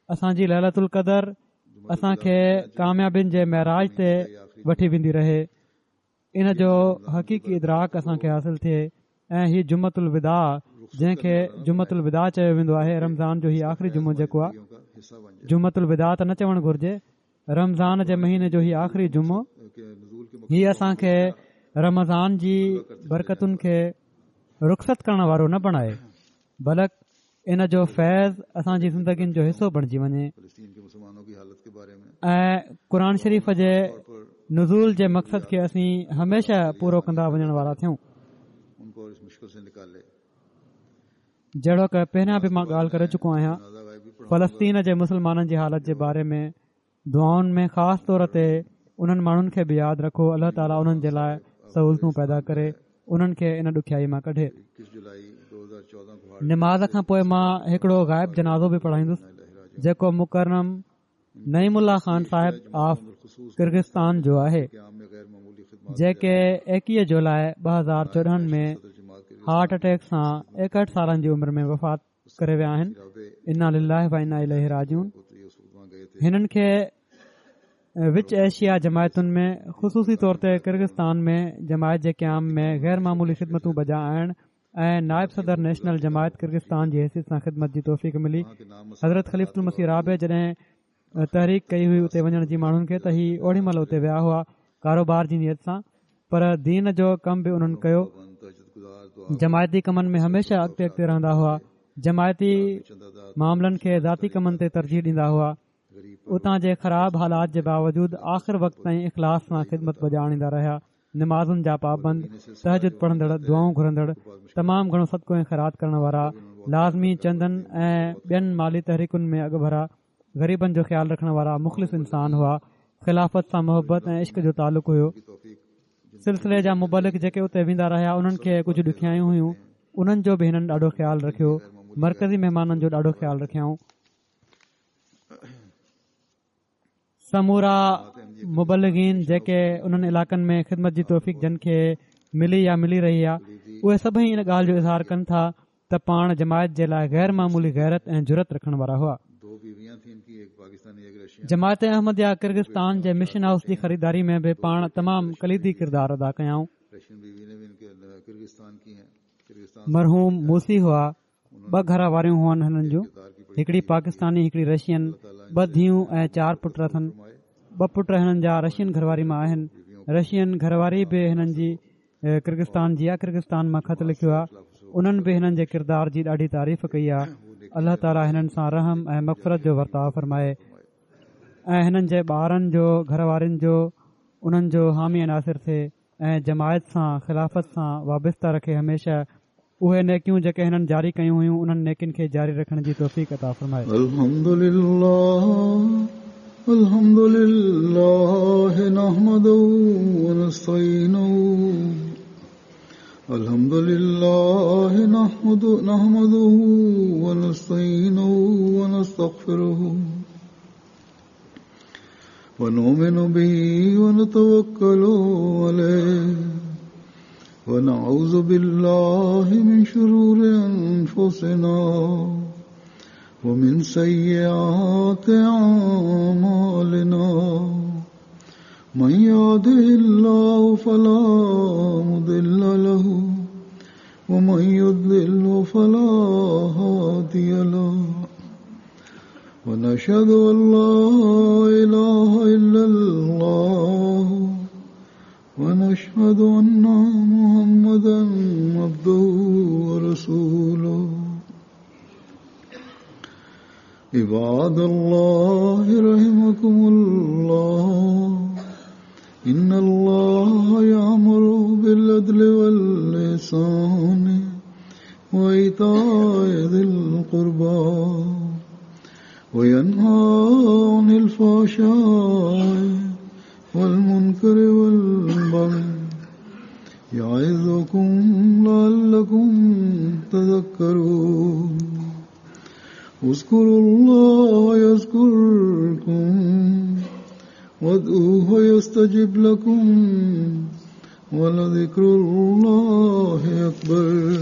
اسان جي ليلة القدر اسان کي ڪاميابين جي معراج تي وٺي ويندي رهي، ان جو حقيقي ادراڪ اسان کي حاصل ٿئي. ۽ هي جمعة الوداع جنهن کي جمعة الوداع چيو ويندو آهي، رمضان جو هي آخري جمعو جيڪو آهي، جمعة الوداع ته نه چوڻ گهرجي، رمضان جي مهيني جو هي آخري جمعو، هي اسان کي رمضان جي برڪتن کي رخصت ڪرڻ وارو نه بڻائي، بلڪ ان جو فيض اسان جي زندگين جو حصو بڻجي وڃي. ۽ قرآن شريف جي نزول جي مقصد کي اسين هميشه پورو ڪندا وڃڻ وارا ٿيون. جهڙوڪ پهريان به مان ڳالهه ڪري چڪو آهيان، فلسطين جي مسلمانن جي حالت جي باري ۾ دعائن ۾ خاص طور تي انهن ماڻهن کي به ياد رکو. الله تعاليٰ انهن جي لاءِ سهولتون پيدا ڪري، انهن کي ان ڏکيائي مان ڪڍي. نماز کان پوءِ مان هڪڙو غائب جنازو به پڙهائيندس جيڪو مڪرم نعيم الله خان صاحب آف ڪرغستان جو آهي، جيڪي ايڪويهه جولاءِ ٻه هزار چوڏهن ۾ هارٽ اٽيڪ سان ايڪهٺ سالن جي عمر ۾ وفات ڪري ويا آهن. انا لله و انا اليه راجعون. هنن کي وچ ايشيا جماعتن ۾ خصوصي طور تي ڪرغستان ۾ جماعت جي قيام ۾ غير معمولي خدمتون بجا آڻڻ ۽ نائب صدر نيشنل جماعت ڪرغستان جي حيثيت سان خدمت جي توفيق ملي. حضرت خليفة المسيح رابع جڏهن تحريڪ ڪئي هئي اتي وڃڻ جي ماڻهن کي ته هي اوڏي مهل اتي ويا هئا ڪاروبار جي نيت سان، پر دين جو ڪم به انهن ڪيو. جماعتي ڪمن ۾ هميشه اڳتي اڳتي رهندا هئا، جماعتي معاملن کي ذاتي ڪمن تي ترجيح ڏيندا هئا. اتان جي خراب حالات جي باوجود آخر وقت تائين اخلاص سان خدمت بجا آڻيندا رهيا. نمازن جا پابند، تهجد پڙهندڙ، دعائون گهرندڙ، تمام گهڻو صدقو ۽ خيرات ڪرڻ وارا، لازمي چندن ۽ ٻين مالي تحريڪن ۾ اڳڀرا، غريبن جو خيال رکڻ وارا مخلص انسان هئا. خلافت سان محبت ۽ عشق جو تعلق هيو. سلسلي جا مبلغ جيڪي اتي ويندا رهيا انهن کي ڪجهه ڏکيائيون هيون، انهن جو به هنن ڏاڍو خيال رکيو. مرڪزي مهمانن جو ڏاڍو خيال رکيائون. سمورا مبلغين جيڪي انهن علائقن ۾ خدمت جي توفيق جن کي ملي يا ملي رهي آهي، اهي سڀئي ان ڳالهه جو اظهار ڪن ٿا ته پاڻ جماعت جي لاءِ غير معمولي غيرت ۽ جرئت رکڻ وارا هئا. جماعت احمديه ڪرغستان جي مشن هائوس جي خريداري ۾ به پاڻ تمام ڪليدي ڪردار ادا ڪيائون. مرحوم موسي هئا، ٻه گهر واريون هئن هنن جون، هڪڙي پاڪستاني هڪڙي رشين، ٻه ڌيئون ۽ چار پٽ اٿن. ٻه پٽ هنن جا رشين گهر واري مان آهن. رشين گهر واري به هنن جي ڪرغستان جي آهي، ڪرغستان مان خط لکيو آهي. انهن به هنن جي ڪردار جي ڏاڍي تعريف ڪئي آهي. الله تعاليٰ هنن سان رحم ۽ مغفرت جو ورتاءُ فرمائي ۽ هنن جي ٻارن جو، گهر وارن جو، انهن جو حامي ناصر ٿئي ۽ جماعت سان خلافت سان وابسته رکي. هميشه اهي نيڪيون جيڪي هنن جاري ڪيون هيون انهن نيڪين کي جاري رکڻ جي توفيق عطا فرمائي. الحمدلله الحمدلله نحمده ونستعينه الحمد لله نحمده نحمده ونستعينه ونستغفره ونؤمن به ونتوكل عليه ونعوذ بالله من شرور أنفسنا ومن سيئات أعمالنا من يهده الله فلا مضل له ومن يضلل فلا هادي له ونشهد أن لا إله إلا الله ونشهد أن محمدا عبده ورسوله. عباد الله رحمكم الله، إن الله يأمر بالعدل والإحسان وإيتاء ذي القربى وينهى عن الفحشاء والمنكر والبغي يعظكم لعلكم تذكرون. اذكروا الله يذكركم وادعوه يستجب لكم ولذكر الله أكبر.